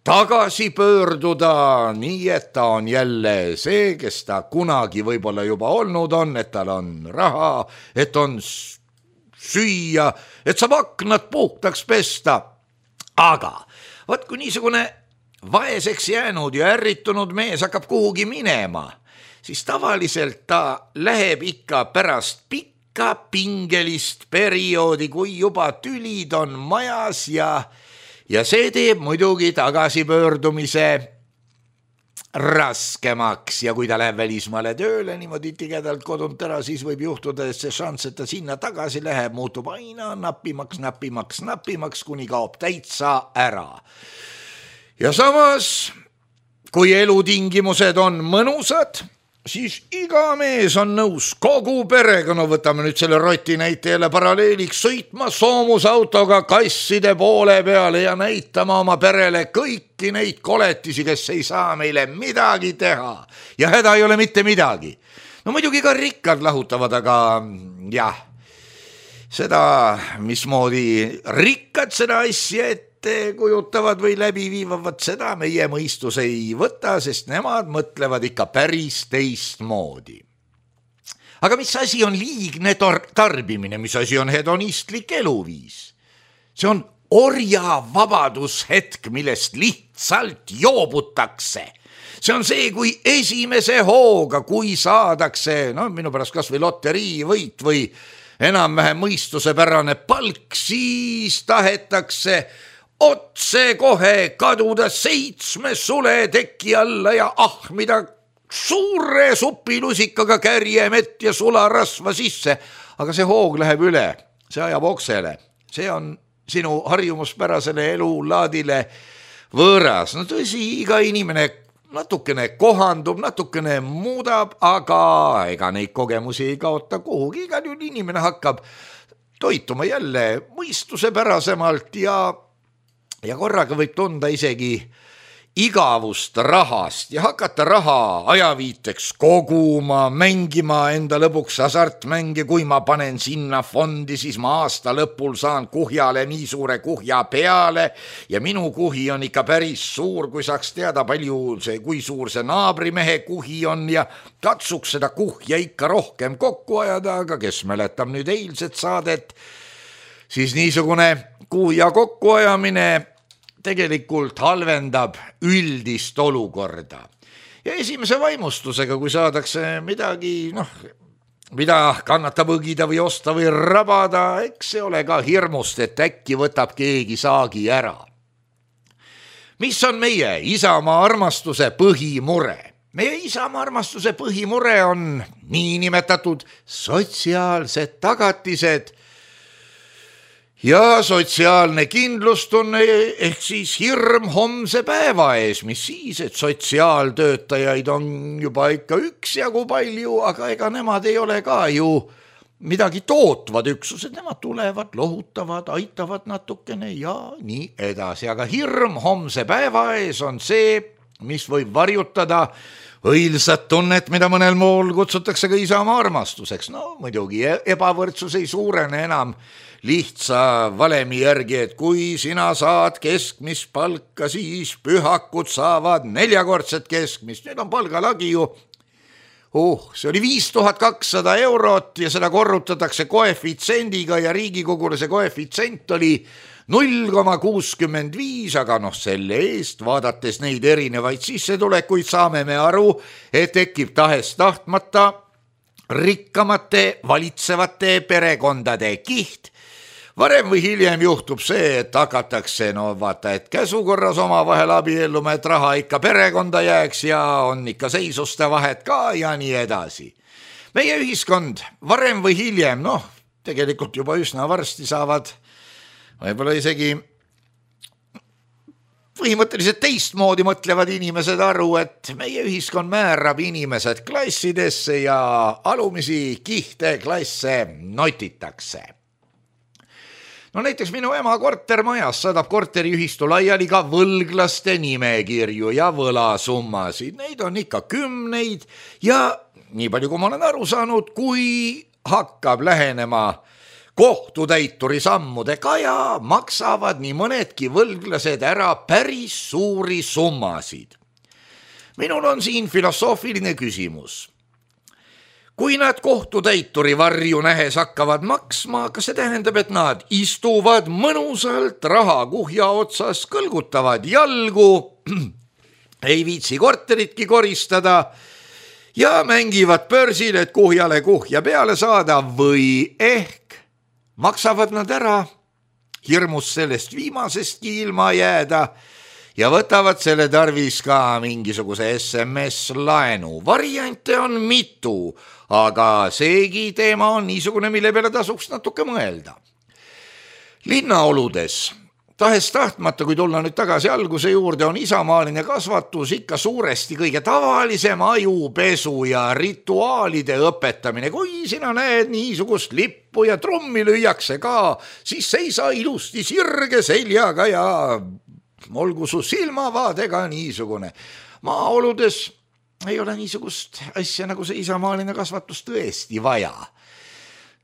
tagasi pöörduda, nii et ta on jälle see, kes ta kunagi võib-olla juba olnud on, et tal on raha, et on süüa, et saab aknad puhtaks pesta, aga vaat kui niisugune vaeseks jäänud ja ärritunud mees hakkab kuhugi minema, siis tavaliselt ta läheb ikka pärast pikka pingelist perioodi, kui juba tülid on majas ja see teeb muidugi tagasipöördumise raskemaks ja kui ta läheb välismaale tööle niimoodi tigedalt kodunt ära, siis võib juhtuda, et see šanss, et ta sinna tagasi läheb, muutub aina napimaks, kuni kaob täitsa ära. Ja samas, kui elutingimused on mõnusad, siis iga mees on nõus kogu perega, võtame nüüd selle roti näite jälle paralleeliks, sõitma soomusautoga kasside poole peale ja näitama oma perele kõiki neid koletisi, kes ei saa meile midagi teha ja häda ei ole mitte midagi. Muidugi ka rikkad lahutavad, aga jah, seda, mismoodi rikkad seda asja ette kujutavad või läbi viivavad, seda meie mõistus ei võta, sest nemad mõtlevad ikka päris teistmoodi. Aga mis asi on liigne tarbimine, mis asi on hedonistlik eluviis? See on orja vabadushetk, millest lihtsalt joobutakse. See on see, kui esimese hooga, kui saadakse, minu pärast kas või loteriivõit või enam-vähem mõistusepärane palk, siis tahetakse otse kohe kaduda 7 sule teki alla ja ahmida suure supilusikaga kärjemett ja sularasva sisse. Aga see hoog läheb üle, see ajab oksele, see on sinu harjumuspärasele elulaadile võõras. Tõsi, iga inimene natukene kohandub, natukene muudab, aga ega neid kogemusi ei kaota kuhugi. Igal juhul inimene hakkab toituma jälle mõistusepärasemalt ja korraga võib tunda isegi igavust rahast ja hakata raha ajaviiteks koguma, mängima enda lõbuks hasartmänge, kui ma panen sinna fondi, siis ma aasta lõpul saan kuhjale nii suure kuhja peale ja minu kuhi on ikka päris suur, kui saaks teada kui suur see naabrimehe kuhi on ja katsuks seda kuhja ikka rohkem kokku ajada, aga kes mäletab nüüd eilset saadet, siis niisugune kuhja kokkuajamine tegelikult halvendab üldist olukorda. Ja esimese vaimustusega, kui saadakse midagi, mida kannatab õgida või osta või rabada, eks see ole ka hirmust, et äkki võtab keegi saagi ära. Mis on meie Isamaa armastuse põhimure? Meie Isamaa armastuse põhimure on niinimetatud sotsiaalsed tagatised ja sotsiaalne kindlustunne ehk siis hirm homse päeva ees, mis siis, et sotsiaaltöötajaid on juba ikka üksjagu palju, aga ega nemad ei ole ka ju midagi tootvad üksused, nemad tulevad, lohutavad, aitavad natukene ja nii edasi, aga hirm homse päeva ees on see, mis võib varjutada õilsat tunnet, mida mõnel mool kutsutakse ka Isamaa armastuseks. No muidugi ebavõrdsus ei suurene enam lihtsa valemi järgi, et kui sina saad keskmist palka, siis pühakud saavad 4-kordset keskmist. Nüüd on palgalagi ju see oli 5200 eurot ja seda korrutatakse koefitsiendiga ja Riigikogule see koefitsient oli 0,65, aga selle eest vaadates neid erinevaid sissetulekuid saame me aru, et tekib tahest tahtmata rikkamate valitsevate perekondade kiht. Varem või hiljem juhtub see, et hakatakse, et käsukorras omavahel abielluma, et raha ikka perekonda jääks ja on ikka seisuste vahet ka ja nii edasi. Meie ühiskond varem või hiljem, tegelikult juba üsna varsti saavad võib-olla isegi põhimõtteliselt teistmoodi mõtlevad inimesed aru, et meie ühiskond määrab inimesed klassidesse ja alumisi kihte klasse notitakse. Näiteks minu ema kortermajas saadab korteriühistu laiali ka võlglaste nimekirju ja võlasummasid. Neid on ikka 10 ja nii palju, kui ma olen aru saanud, kui hakkab lähenema kohtutäituri sammude kaja, maksavad nii mõnedki võlglased ära päris suuri summasid. Minul on siin filosoofiline küsimus. Kui nad kohtutäituri varju nähes hakkavad maksma, kas see tähendab, et nad istuvad mõnusalt rahakuhja otsas, kõlgutavad jalgu, ei viitsi korteritki koristada ja mängivad börsil, et kuhjale kuhja peale saada või ehk maksavad nad ära, hirmus sellest viimasestki ilma jääda ja võtavad selle tarvis ka mingisuguse SMS-laenu. Variante on mitu, aga seegi teema on niisugune, mille peale tasuks natuke mõelda. Linnaoludes, tahes tahtmata, kui tulla nüüd tagasi alguse juurde, on isamaaline kasvatus ikka suuresti kõige tavalisem ajupesu ja rituaalide õpetamine. Kui sina näed niisugust lippu ja trummi lüüakse ka, siis seisa ilusti sirge seljaga ja olgu su silmavaadega niisugune. Maaoludes ei ole niisugust asja nagu see isamaaline kasvatus tõesti vaja.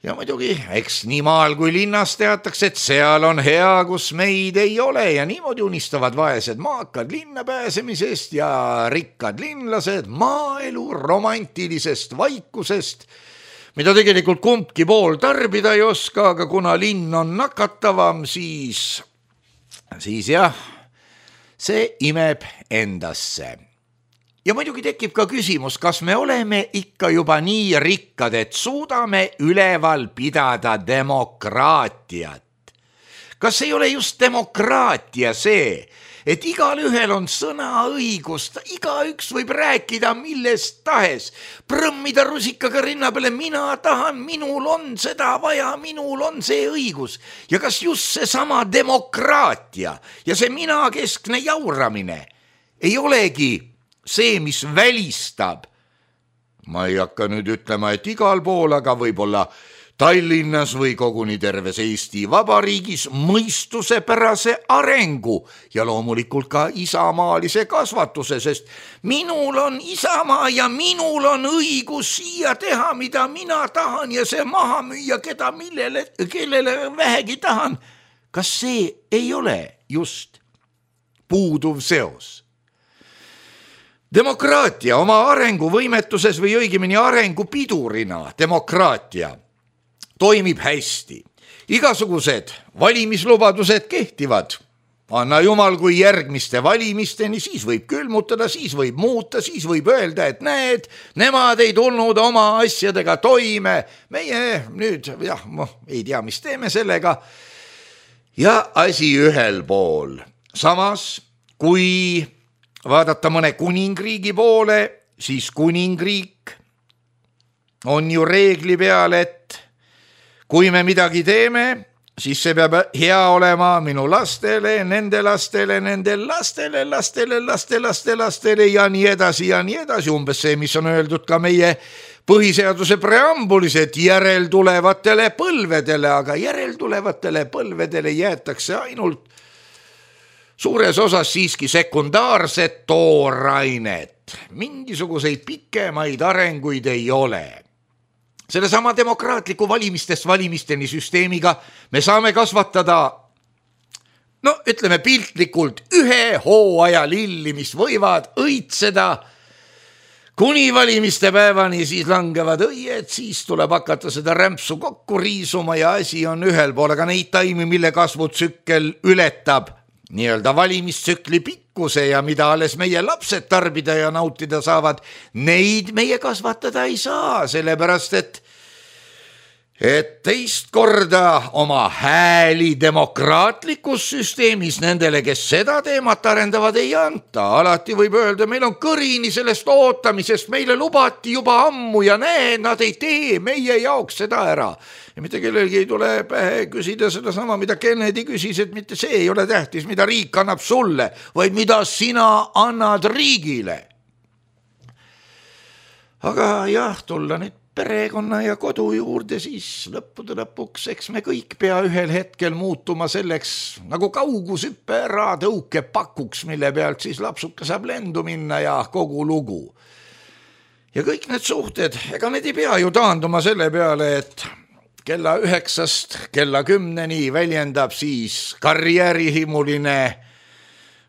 Ja muidugi, eks nii maal kui linnas teatakse, et seal on hea, kus meid ei ole ja niimoodi unistavad vaesed maakad linna pääsemisest ja rikkad linlased maaelu romantilisest vaikusest, mida tegelikult kumbki pool tarbida ei oska, aga kuna linn on nakatavam, siis jah, see imeb endasse. Ja muidugi tekib ka küsimus, kas me oleme ikka juba nii rikkad, et suudame üleval pidada demokraatiat. Kas ei ole just demokraatia see, et igal ühel on sõnaõigust, igaüks võib rääkida millest tahes, prõmmida rusikaga rinna peale, mina tahan, minul on seda vaja, minul on see õigus. Ja kas just see sama demokraatia ja see minakeskne jauramine ei olegi see, mis välistab, ma ei hakka nüüd ütlema, et igal pool, aga võib-olla Tallinnas või koguni terves Eesti Vabariigis mõistusepärase arengu ja loomulikult ka isamaalise kasvatuse, sest minul on isamaa ja minul on õigus siia teha, mida mina tahan ja see maha müüa, kellele vähegi tahan. Kas see ei ole just puuduv seos? Demokraatia oma arenguvõimetuses või õigemini arengupidurina demokraatia toimib hästi. Igasugused valimislubadused kehtivad. Anna jumal, kui järgmiste valimisteni, siis võib külmutada, siis võib muuta, siis võib öelda, et näed, nemad ei tulnud oma asjadega toime. Meie nüüd, ei tea, mis teeme sellega. Ja asi ühel pool. Samas, kui vaadata mõne kuningriigi poole, siis kuningriik on ju reegli peal, et kui me midagi teeme, siis see peab hea olema minu lastele, nende lastele, nende lastele, lastele ja nii edasi, umbes see, mis on öeldud ka meie põhiseaduse preambulis, et järeltulevatele põlvedele, aga järeltulevatele põlvedele jäetakse ainult suures osas siiski sekundaarset toorainet. Mingisuguseid pikemaid arenguid ei ole. Sellesama demokraatliku valimistest valimisteni süsteemiga me saame kasvatada, no ütleme piltlikult, ühe hooaja lilli, mis võivad õitseda kuni valimiste päevani, siis langevad õied, siis tuleb hakata seda rämpsu kokku riisuma ja asi on ühel pool, aga neid taimi, mille kasvutsükkel ületab nii-öelda valimistsükli pikkuse ja mida alles meie lapsed tarbida ja nautida saavad, neid meie kasvatada ei saa, sellepärast et teist korda oma hääli demokraatlikus süsteemis nendele, kes seda teemat arendavad, ei anta. Alati võib öelda, meil on kõrini sellest ootamisest, meile lubati juba ammu ja näe, nad ei tee meie jaoks seda ära. Ja mitte kellelgi ei tule pähe küsida seda sama, mida Kennedy küsis, et mitte see ei ole tähtis, mida riik annab sulle, vaid mida sina annad riigile. Aga jah, tulla nüüd perekonna ja kodu juurde, siis lõppude lõpuks, eks me kõik pea ühel hetkel muutuma selleks nagu kaugushüppe ära tõukepakuks, mille pealt siis lapsuke saab lendu minna ja kogu lugu. Ja kõik need suhted, ega need ei pea ju taanduma selle peale, et kella 9-st kella 10-ni väljendab siis karjäärihimuline,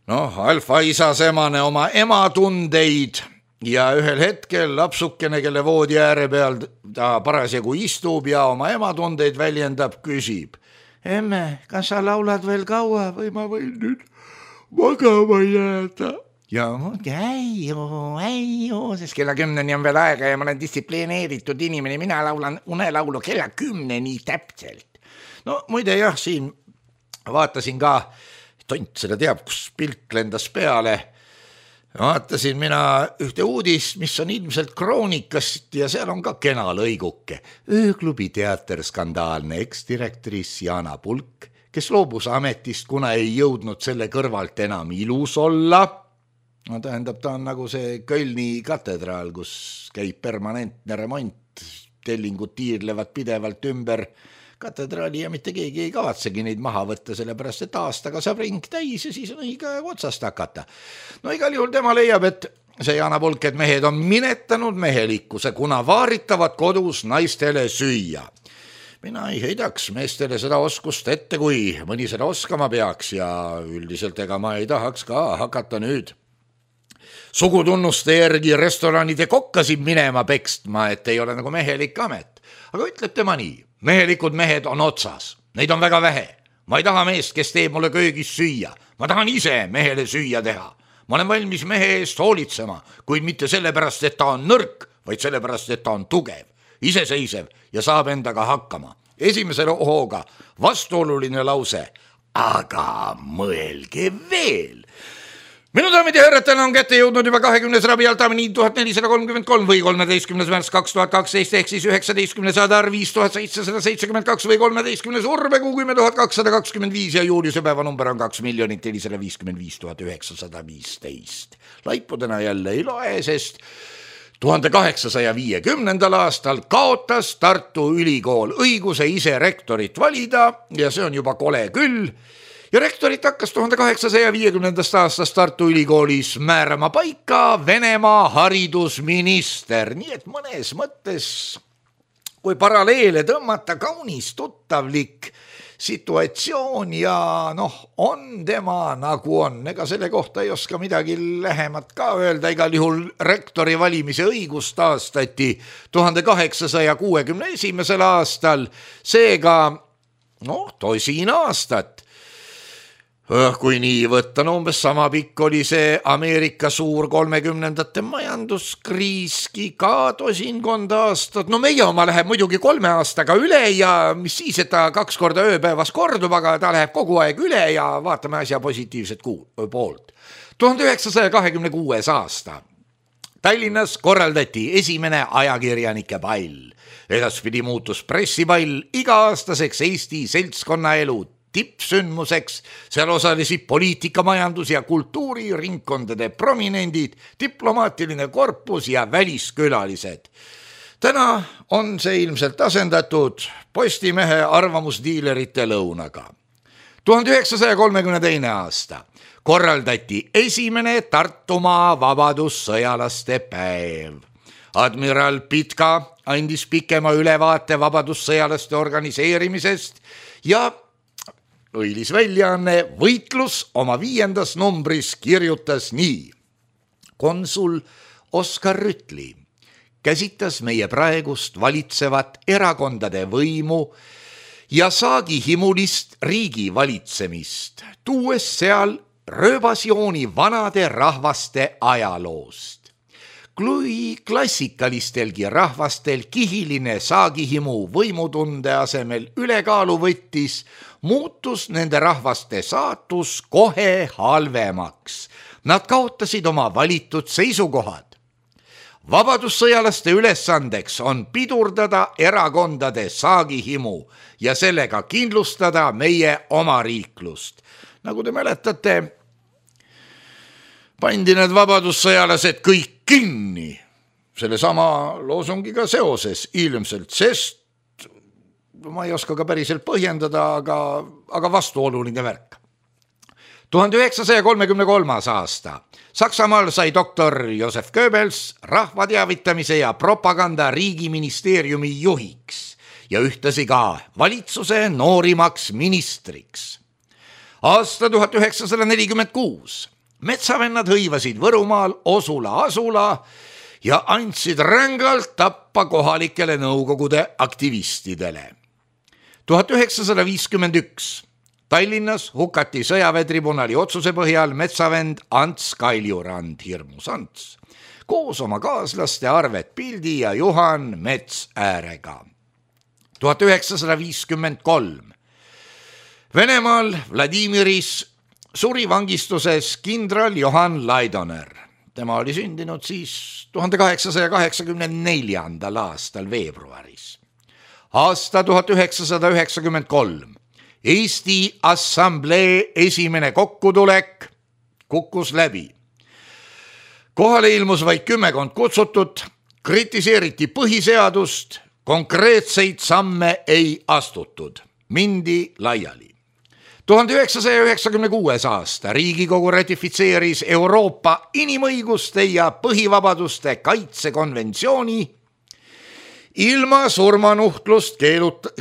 alfa-isasemane oma ematundeid ja ühel hetkel lapsukene, kelle voodi ääre peal ta parasjagu istub ja oma ematundeid väljendab, küsib: emme, kas sa laulad veel kaua või ma võin nüüd magama jääda? Ja äiu, sest kella 10-ni on veel aega ja ma olen distsiplineeritud inimene, mina laulan unelaulu kella 10-ni täpselt. No muide jah, siin vaatasin ka, tont seda teab, kus pilt lendas peale, vaatasin mina ühte uudist, mis on ilmselt Kroonikast ja seal on ka kena lõiguke. Ööklubi teater skandaalne eksdirektoris Jana Pulk, kes loobus ametist, kuna ei jõudnud selle kõrvalt enam ilus olla. No tähendab, ta on nagu see Kölni katedraal, kus käib permanentne remont, tellingud tiirlevad pidevalt ümber katedraali ja mitte keegi ei kavatsegi neid maha võtta, sellepärast et aastaga saab ring täis ja siis on õige otsast hakata. No igal juhul tema leiab, et see Jana Pulk, et mehed on minetanud mehelikkuse, kuna vaaritavad kodus naistele süüa. Mina ei heidaks meestele seda oskust ette, kui mõni seda oskama peaks ja üldiselt ega ma ei tahaks ka hakata nüüd sugutunnuste järgi restoranide kokkasid minema pekstma, et ei ole nagu mehelik amet. Aga ütleb tema nii: mehelikud mehed on otsas, neid on väga vähe. Ma ei taha meest, kes teeb mulle köögis süüa. Ma tahan ise mehele süüa teha. Ma olen valmis mehe eest hoolitsema, kuid mitte sellepärast, et ta on nõrk, vaid sellepärast, et ta on tugev, iseseisev ja saab endaga hakkama. Esimese hooga vastuoluline lause, aga mõelge veel. Minu daamid ja härrad, täna on kätte jõudnud juba 20. rabi Altamini 1433 või 13. märts 2012 ehk siis 19. saadar 5772 või 13. urvekuu 10.225 ja juuliuse päeva number on 2,455,915. Laipudena jälle ei loe, sest 1850. aastal kaotas Tartu Ülikool õiguse ise rektorit valida ja see on juba kole küll. Ja rektorit hakkas 1850. aastast Tartu Ülikoolis määrama paika Venemaa haridusminister. Nii et mõnes mõttes, kui paralleele tõmmata, kaunis tuttavlik situatsioon ja on tema nagu on. Ega selle kohta ei oska midagi lähemat ka öelda. Igal juhul rektori valimise õigus taastati 1861. aastal. Seega, tosin aastat. Kui nii võtta, umbes sama pikk oli see Ameerika suur 30ndate majanduskriiski ka tosinkond aastat. Meie oma läheb muidugi 3 aastaga üle ja mis siis, et ta 2 korda ööpäevas kordub, aga ta läheb kogu aeg üle ja vaatame asja positiivset poolt. 1926. aasta Tallinnas korraldati esimene ajakirjanike pall. Edaspidi muutus pressipall iga-aastaseks Eesti seltskonnaelu tippsündmuseks. Seal osalesid poliitika, majandus ja kultuuriringkondade prominendid, diplomaatiline korpus ja väliskülalised. Täna on see ilmselt asendatud Postimehe arvamusdiilerite lõunaga. 1932. aasta korraldati esimene Tartumaa vabadussõjalaste päev. Admiral Pitka andis pikema ülevaate vabadussõjalaste organiseerimisest ja õilis väljaanne Võitlus oma 5. numbris kirjutas nii. Konsul Oskar Rütli käsitas meie praegust valitsevat erakondade võimu ja saagihimulist riigi valitsemist, tuues seal rööbasjooni vanade rahvaste ajaloost. Kui klassikalistelgi rahvastel kihiline saagihimu võimutunde asemel ülekaalu võttis, muutus nende rahvaste saatus kohe halvemaks. Nad kaotasid oma valitud seisukohad. Vabadussõjalaste ülesandeks on pidurdada erakondade saagihimu ja sellega kindlustada meie oma riiklust. Nagu te mäletate, pandi need vabadussõjalased kõik kinni selle sama loosungiga seoses ilmselt, sest ma ei oska ka päriselt põhjendada, aga vastuoluline värk. 1933. aasta Saksamaal sai doktor Josef Goebbels rahvateavitamise ja propaganda riigiministeeriumi juhiks ja ühtlasi ka valitsuse noorimaks ministriks. Aasta 1946 metsavennad hõivasid Võrumaal Osula asula ja andsid rängalt tappa kohalikele nõukogude aktivistidele. 1951 Tallinnas hukati sõjaväetribunali otsuse põhjal metsavend Ants Kaljurand, hirmus Ants, koos oma kaaslaste Arvet Pildi ja Juhan Metsäärega. 1953 Venemaal Vladimiris suri vangistuses kindral Johan Laidoner. Tema oli sündinud siis 1884. aastal veebruaris. Aasta 1993 Eesti Assamblee esimene kokkutulek kukkus läbi. Kohale ilmus vaid 10 kutsutut, kritiseeriti põhiseadust, konkreetseid samme ei astutud, mindi laiali. 1996. aasta Riigikogu ratifitseeris Euroopa inimõiguste ja põhivabaduste kaitsekonventsiooni ilma surmanuhtlust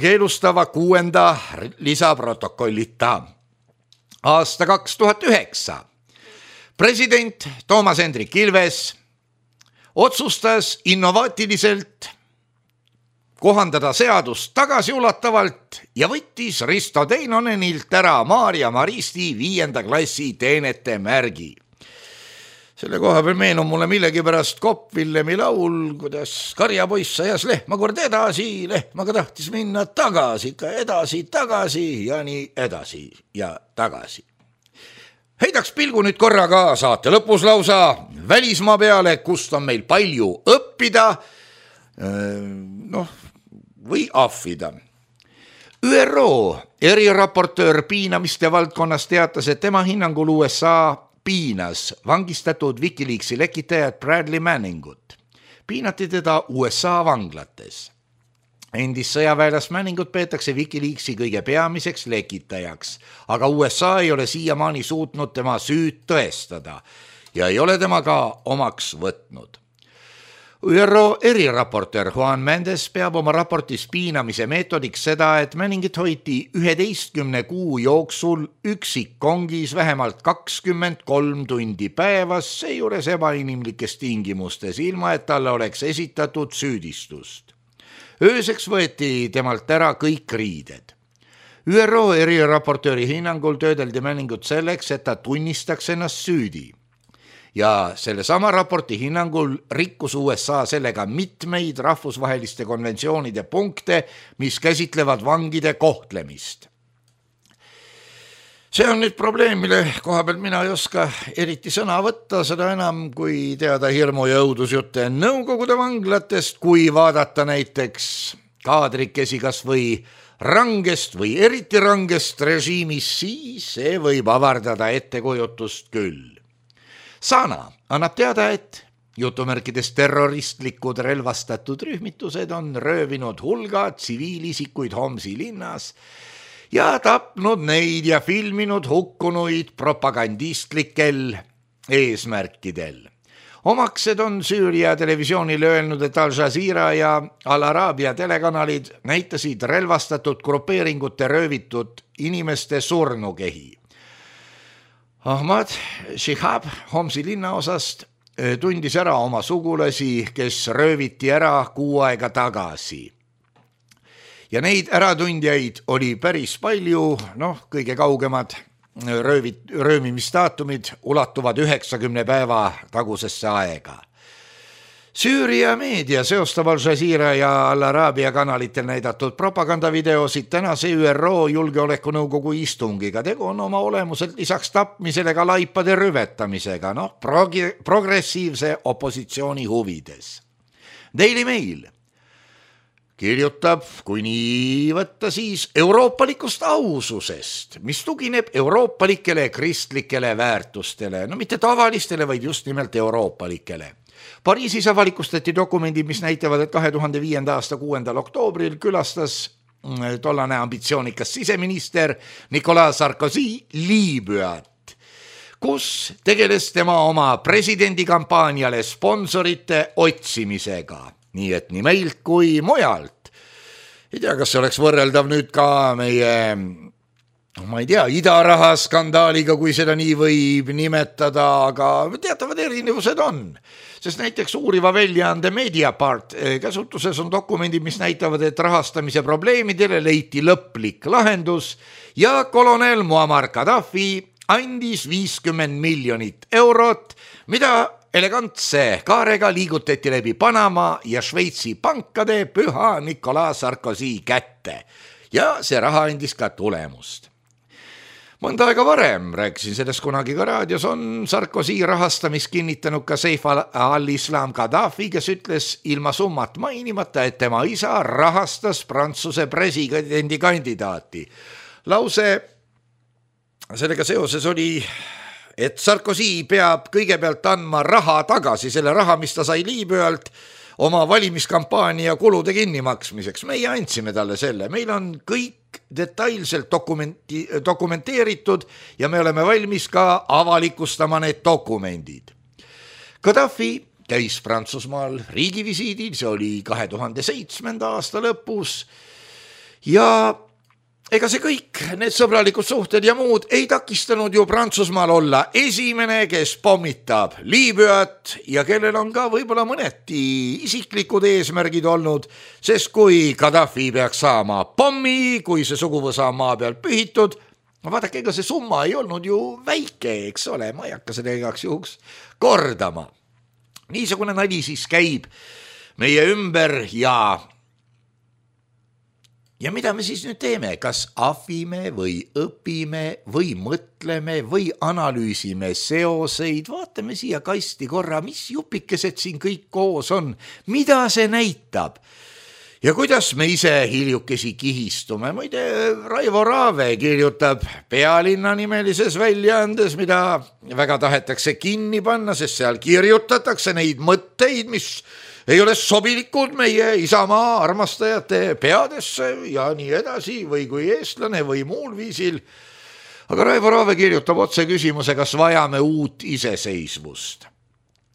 keelustava 6. lisaprotokollita. Aasta 2009 president Toomas Hendrik Ilves otsustas innovaatiliselt kohandada seadust tagasiulatavalt ja võttis Risto Teinonenilt ära Maarja Maristi 5. klassi teenete märgi. Selle koha peal meenub mulle millegipärast Kopp Villemi laul, kuidas karjapoiss ajas lehma kord edasi, lehmaga tahtis minna tagasi, ikka edasi, tagasi ja nii edasi ja tagasi. Heidaks pilgu nüüd korra ka saate lõpus lausa välismaa peale, kust on meil palju õppida või ahvida. ÜRO eriraportöör piinamiste valdkonnas teatas, et tema hinnangul USA piinas vangistatud Wikileaksi lekitajat Bradley Manningut. Piinati teda USA vanglates. Endist sõjaväelast Manningut peetakse Wikileaksi kõige peamiseks lekitajaks, aga USA ei ole siiamaani suutnud tema süüd tõestada ja ei ole tema ka omaks võtnud. ÜRO eriraportöör Juan Mendes peab oma raportis piinamise meetodiks seda, et Manningit hoiti 11 kuu jooksul üksikkongis vähemalt 23 tundi päevas, seejuures ebainimlikes tingimustes, ilma et talle oleks esitatud süüdistust. Ööseks võeti temalt ära kõik riided. ÜRO eriraportööri hinnangul töödeldi Manningut selleks, et ta tunnistaks ennast süüdi. Ja sellesama raporti hinnangul rikkus USA sellega mitmeid rahvusvaheliste konventsioonide punkte, mis käsitlevad vangide kohtlemist. See on nüüd probleem, mille koha pealt mina ei oska eriti sõna võtta, seda enam kui teada hirmu ja õudusjutte Nõukogude vanglatest, kui vaadata näiteks kaadrikesi kas või rangest või eriti rangest režiimist, siis see võib avardada ettekujutust küll. Sana annab teada, et jutumärkides terroristlikud relvastatud rühmitused on röövinud hulga tsiviilisikuid Homsi linnas ja tapnud neid ja filminud hukkunuid propagandistlikel eesmärkidel. Omaksed on Süüria televisioonile öelnud, et Al Jazeera ja Al Araabia telekanalid näitasid relvastatud grupeeringute röövitud inimeste surnukehi. Ahmad Shihab Homsi linnaosast tundis ära oma sugulasi, kes rööviti ära 6 aega tagasi. Ja neid äratundjaid oli päris palju, kõige kaugemad röövimistaatumid ulatuvad 90 päeva tagusesse aega. Süüria meedia seostab Al Jazeera ja Al Araabia kanalitel näidatud propagandavideosid tänase ÜRO Julgeolekunõukogu istungiga. Tegu on oma olemuselt lisaks tapmisele ka laipade rüvetamisega, progressiivse opositsiooni huvides. Daily Mail kirjutab, kui nii võtta, siis euroopalikust aususest, mis tugineb euroopalikele kristlikele väärtustele, mitte tavalistele, vaid just nimelt euroopalikele. Pariisis avalikustati dokumendid, mis näitavad, et 2005. aasta 6. oktoobril külastas tollane ambitsioonikas siseminister Nicolas Sarkozy Liibüat, kus tegeles tema oma presidendikampaaniale sponsorite otsimisega. Nii et nii meilt kui mujalt. Ei tea, kas see oleks võrreldav nüüd ka meie, idaraha skandaaliga, kui seda nii võib nimetada, aga teatavad erinevused on. Sest näiteks uuriva väljaande Mediapart käsutuses on dokumendid, mis näitavad, et rahastamise probleemidele leiti lõplik lahendus ja kolonel Muammar Gaddafi andis 50 miljonit eurot, mida elegantse kaarega liigutati läbi Panama ja Šveitsi pankade püha Nicolas Sarkozy kätte ja see raha andis ka tulemust. Mõnda aega varem, rääkisin sellest kunagi ka raadios, on Sarkozy rahastamist kinnitanud ka Saif al-Islam Gaddafi, kes ütles ilma summat mainimata, et tema isa rahastas Prantsuse presidendi kandidaati. Lause sellega seoses oli, et Sarkozy peab kõigepealt andma raha tagasi, selle raha, mis ta sai Liibüalt oma valimiskampaania kulude kinnimaksmiseks. Meie andsime talle selle, meil on kõik detailselt dokumenteeritud ja me oleme valmis ka avalikustama need dokumendid. Gaddafi käis Prantsusmaal riigivisiidil, see oli 2007. aasta lõpus ja ega see kõik, need sõbralikud suhted ja muud ei takistanud ju Prantsusmaal olla esimene, kes pommitab Liibüat ja kellel on ka võib-olla mõneti isiklikud eesmärgid olnud, sest kui Gaddafi peaks saama pommi, kui see suguvõsa on maa peal pühitud, vaadake, ega see summa ei olnud ju väike, eks ole, ma ei hakka seda igaks juhuks kordama. Niisugune nali siis käib meie ümber ja mida me siis nüüd teeme? Kas ahvime või õpime või mõtleme või analüüsime seoseid? Vaatame siia kasti korra, mis jupikesed siin kõik koos on, mida see näitab ja kuidas me ise hiljukesi kihistume. Muide, Raivo Raave kirjutab Pealinna nimelises väljaandes, mida väga tahetakse kinni panna, sest seal kirjutatakse neid mõtteid, mis ei ole sobilikud meie Isamaa armastajate peadesse ja nii edasi või kui eestlane või muul viisil. Aga Raivo Raave kirjutab otse küsimuse, kas vajame uut iseseisvust.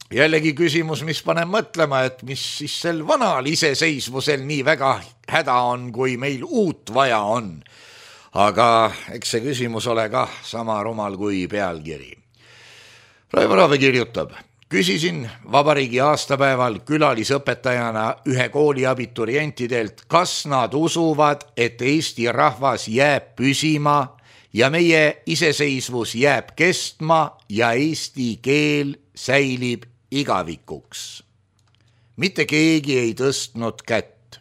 Jällegi küsimus, mis paneb mõtlema, et mis siis sel vanal iseseisvusel nii väga häda on, kui meil uut vaja on. Aga eks see küsimus ole ka sama rumal kui pealkiri. Raivo Raave kirjutab: küsisin vabariigi aastapäeval külalisõpetajana ühe kooli abiturientidelt, kas nad usuvad, et Eesti rahvas jääb püsima ja meie iseseisvus jääb kestma ja eesti keel säilib igavikuks. Mitte keegi ei tõstnud kätt.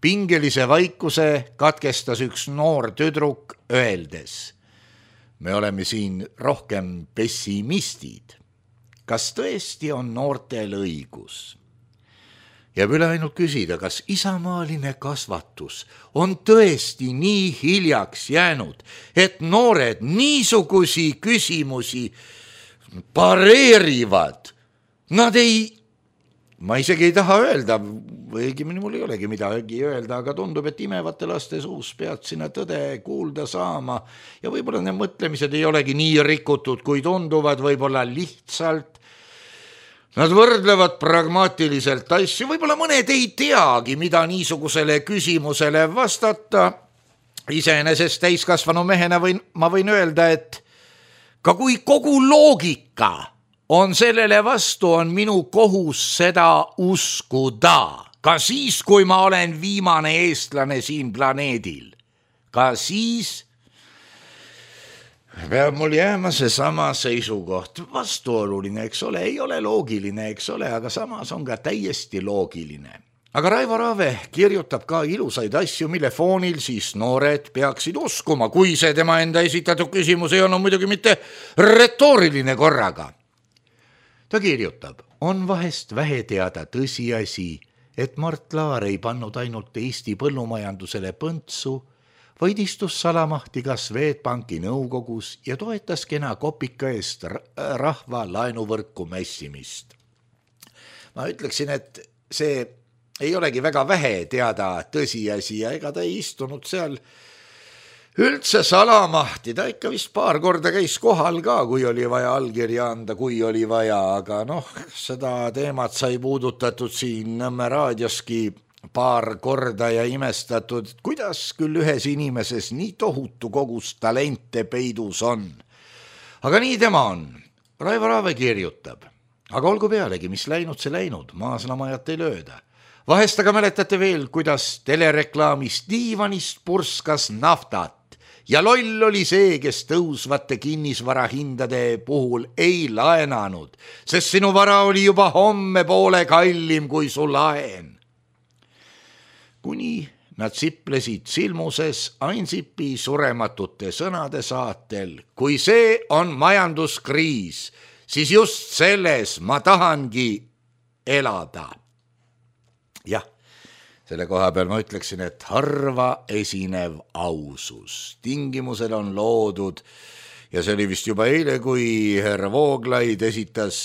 Pingelise vaikuse katkestas üks noor tüdruk öeldes: me oleme siin rohkem pessimistid. Kas tõesti on noortel õigus? Jääb üle ainult küsida, kas isamaaline kasvatus on tõesti nii hiljaks jäänud, et noored niisugusi küsimusi pareerivad. Nad ma isegi ei taha öelda, või õigemini mul ei olegi midagi öelda, aga tundub, et imevate laste suus pead sinna tõde kuulda saama ja võib-olla need mõtlemised ei olegi nii rikutud, kui tunduvad, võib-olla lihtsalt nad võrdlevad pragmaatiliselt asju, võib-olla mõned ei teagi, mida niisugusele küsimusele vastata. Iseenesest täiskasvanu mehena ma võin öelda, et ka kui kogu loogika on sellele vastu, on minu kohus seda uskuda. Ka siis, kui ma olen viimane eestlane siin planeedil. Ka siis peab mul jääma seesama seisukoht. Vastuoluline, eks ole, ei ole loogiline, eks ole, aga samas on ka täiesti loogiline. Aga Raivo Raave kirjutab ka ilusaid asju, mille foonil siis noored peaksid uskuma, kui see tema enda esitatud küsimus ei olnud muidugi mitte retooriline korraga. Ta kirjutab, on vahest vähe teada tõsiasi, et Mart Laar ei pannud ainult Eesti põllumajandusele põntsu, vaid istus salamahti ka Swedbanki nõukogus ja toetas kena kopika eest rahva laenuvõrku mässimist. Ma ütleksin, et see ei olegi väga vähe teada tõsiasi ja ega ta ei istunud seal üldse salamahti. Ta ikka vist paar korda käis kohal ka, kui oli vaja allkirja anda, kui oli vaja, aga seda teemat sai puudutatud siin Nõmme raadioski paar korda ja imestatud, kuidas küll ühes inimeses nii tohutu kogus talente peidus on. Aga nii tema on. Raivo Raave kirjutab, aga olgu pealegi, mis läinud, see läinud, maasnamajat ei lööda. Vahest aga mäletate veel, kuidas telereklaamis diivanist purskas naftat ja loll oli see, kes tõusvate kinnisvarahindade puhul ei laenanud, sest sinu vara oli juba homme poole kallim kui su laen. Kuni nad siplesid silmuses Ansipi surematute sõnade saatel, kui see on majanduskriis, siis just selles ma tahangi elada. Jah, selle koha peal ma ütleksin, et harva esinev ausus. Tingimusel on loodud ja see oli vist juba eile, kui härra Vooglaid esitas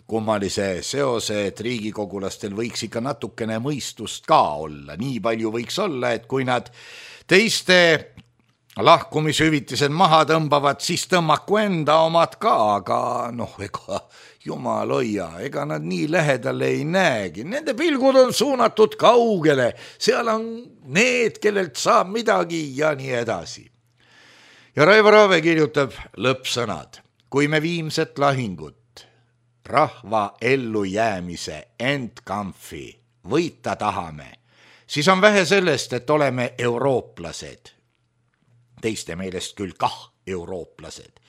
kummalise seose, et riigikogulastel võiks ikka natukene mõistust ka olla. Nii palju võiks olla, et kui nad teiste lahkumishüvitised maha tõmbavad, siis tõmmaku enda omad ka, aga ega jumal hoia, ega nad nii lähedale ei näegi. Nende pilgud on suunatud kaugele, seal on need, kellelt saab midagi ja nii edasi. Ja Raivo Raave kirjutab lõppsõnad, kui me viimset lahingut rahva ellujäämise endkampfi võita tahame, siis on vähe sellest, et oleme eurooplased. Teiste meelest küll kah eurooplased.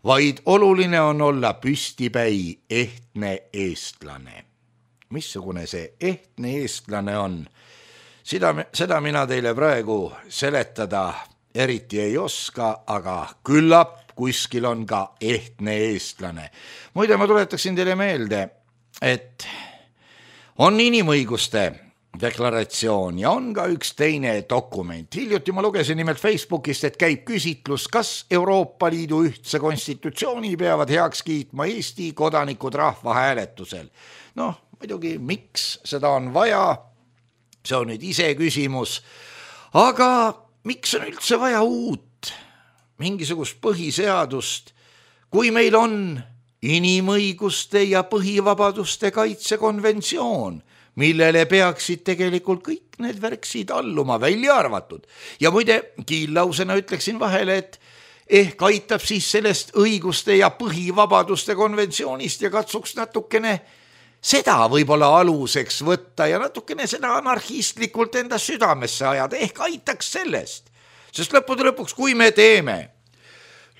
Vaid oluline on olla püstipäi ehtne eestlane. Missugune see ehtne eestlane on? Seda mina teile praegu seletada eriti ei oska, aga küllap kuskil on ka ehtne eestlane. Muide, ma tuletaksin teile meelde, et on inimõiguste deklaratsioon ja on ka üks teine dokument. Hiljuti ma lugesin nimelt Facebookist, et käib küsitlus, kas Euroopa Liidu ühtse konstitutsiooni peavad heaks kiitma Eesti kodanikud rahvahääletusel. Muidugi, miks seda on vaja? See on nüüd ise küsimus. Aga miks on üldse vaja uut mingisugust põhiseadust, kui meil on inimõiguste ja põhivabaduste kaitsekonventsioon, millele peaksid tegelikult kõik need värksid alluma, välja arvatud. Ja muide, kiillausena ütleksin vahele, et ehk aitab siis sellest õiguste ja põhivabaduste konventsioonist ja katsuks natukene seda võib-olla aluseks võtta ja natukene seda anarhistlikult enda südamesse ajada, ehk aitaks sellest. Sest lõppude lõpuks, kui me teeme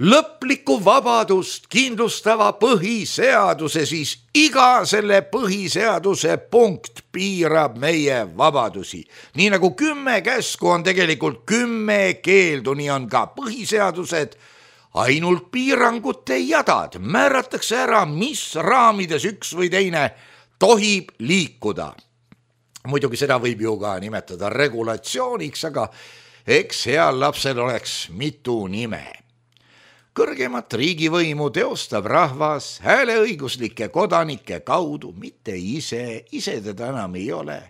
lõplikku vabadust kindlustava põhiseaduse, siis iga selle põhiseaduse punkt piirab meie vabadusi. Nii nagu 10 käsku on tegelikult 10 keeldu, nii on ka põhiseadused ainult piirangute jadad määratakse ära, mis raamides üks või teine tohib liikuda. Muidugi seda võib ju ka nimetada regulatsiooniks, aga eks heal lapsel oleks mitu nime. Kõrgemat riigivõimu teostab rahvas hääleõiguslike kodanike kaudu, mitte ise teda enam ei ole.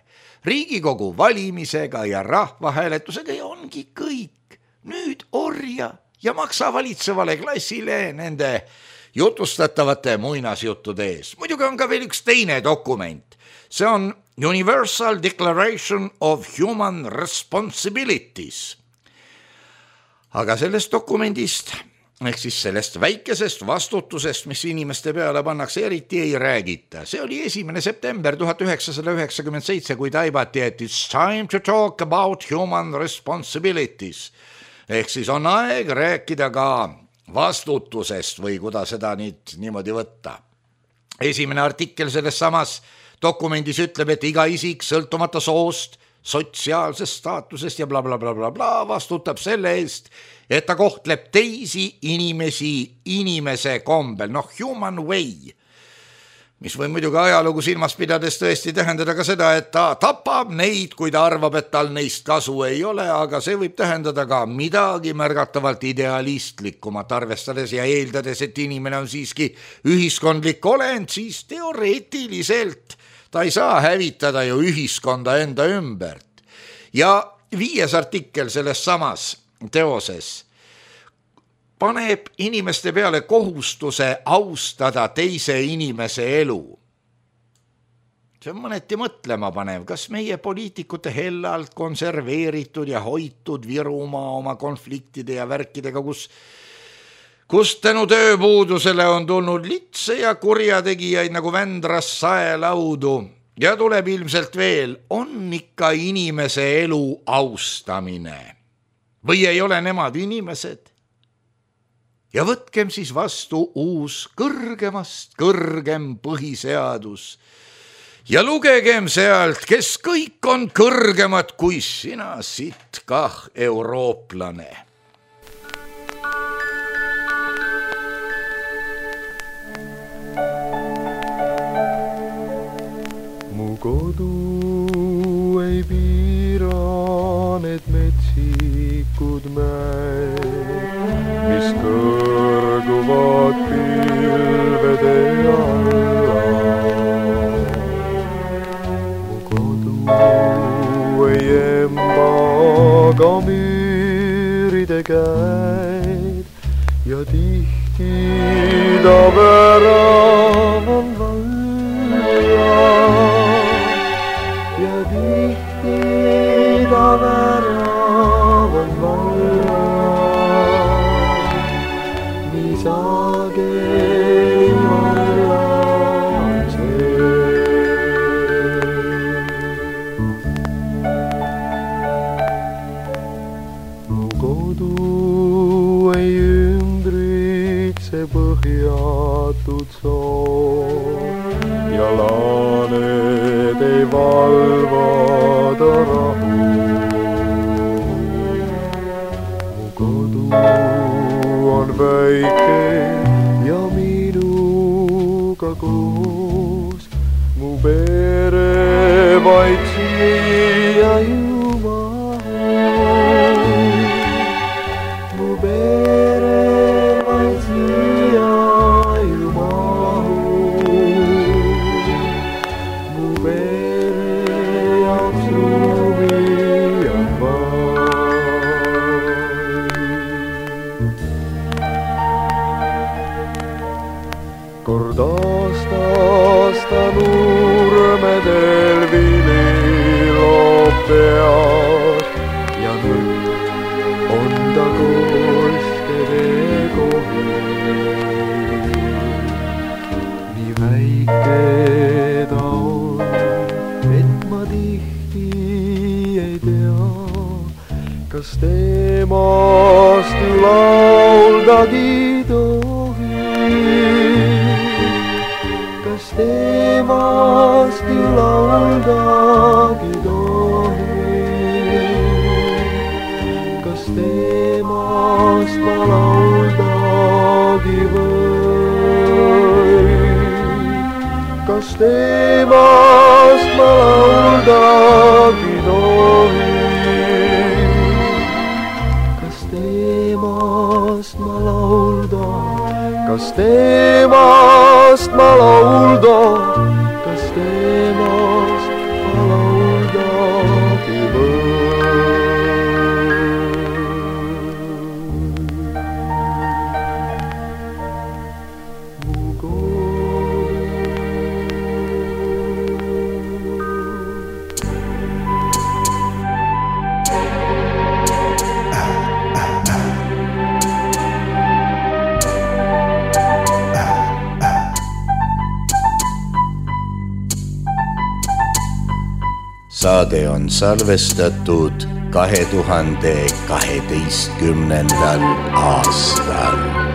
Riigikogu valimisega ja rahvahääletusega ja ongi kõik. Nüüd orja ja maksa valitsevale klassile nende jutustatavate muinasjuttude ees. Muidugi on ka veel üks teine dokument. See on Universal Declaration of Human Responsibilities. Aga sellest dokumendist, ehk siis sellest väikesest vastutusest, mis inimeste peale pannakse, eriti ei räägita. See oli 1. september 1997, kui taibati, et it's time to talk about human responsibilities. Ehk siis on aeg rääkida ka vastutusest või kuidas seda niimoodi võtta. Esimene artikkel selles samas dokumendis ütleb, et iga isik sõltumata soost, sotsiaalsest staatusest ja bla bla bla bla bla vastutab selle eest, et ta kohtleb teisi inimesi inimese kombel, human way, mis võib muidugi ajalugu silmas pidades tõesti tähendada ka seda, et ta tapab neid, kui ta arvab, et tal neist kasu ei ole, aga see võib tähendada ka midagi märgatavalt idealistlikumat, arvestades ja eeldades, et inimene on siiski ühiskondlik olend, siis teoreetiliselt ta ei saa hävitada ju ühiskonda enda ümbert. Ja 5. artikkel selles samas teoses paneb inimeste peale kohustuse austada teise inimese elu. See on mõneti mõtlema panev, kas meie poliitikute hellalt konserveeritud ja hoitud Virumaa oma konfliktide ja värkidega, kus tänu tööpuudusele on tulnud litse ja kurjategijaid nagu Vändras saelaudu ja tuleb ilmselt veel, on ikka inimese elu austamine. Või ei ole nemad inimesed? Ja võtkem siis vastu uus kõrgemast kõrgem põhiseadus ja lugegem sealt, kes kõik on kõrgemad kui sina, siit kah eurooplane. Mu kodu ei piira need metsikud mäed, mis kõrguvad pilvede alla. Mu kodu ei emba ka müüride käed ja tihti ta värav on valla ja tihti ta värav on valla. Sageli vallan see. Mu kodu ei ümbritse põhjatud soo ja laaned ei valvada rahu. Mu kodu on väike ja minuga koos, mu pere vaid siia ju mahub. Mu pere vaid siia ju mahub. Mu pere jaoks ruumi on vaid. Kord aasta nurmedel vili loob pead ja nüüd on ta koskede kohil. Nii väike ta on, et ma tihti ei tea, kas temast ju lauldagi kas temast ju lauldagi tohi, kas temast ma laulda temast ma lauldagi tohin? Kas temast ma laulda, kas temast ma laulda, kas temast ma lauldagi Saade on salvestatud 2012. aastal.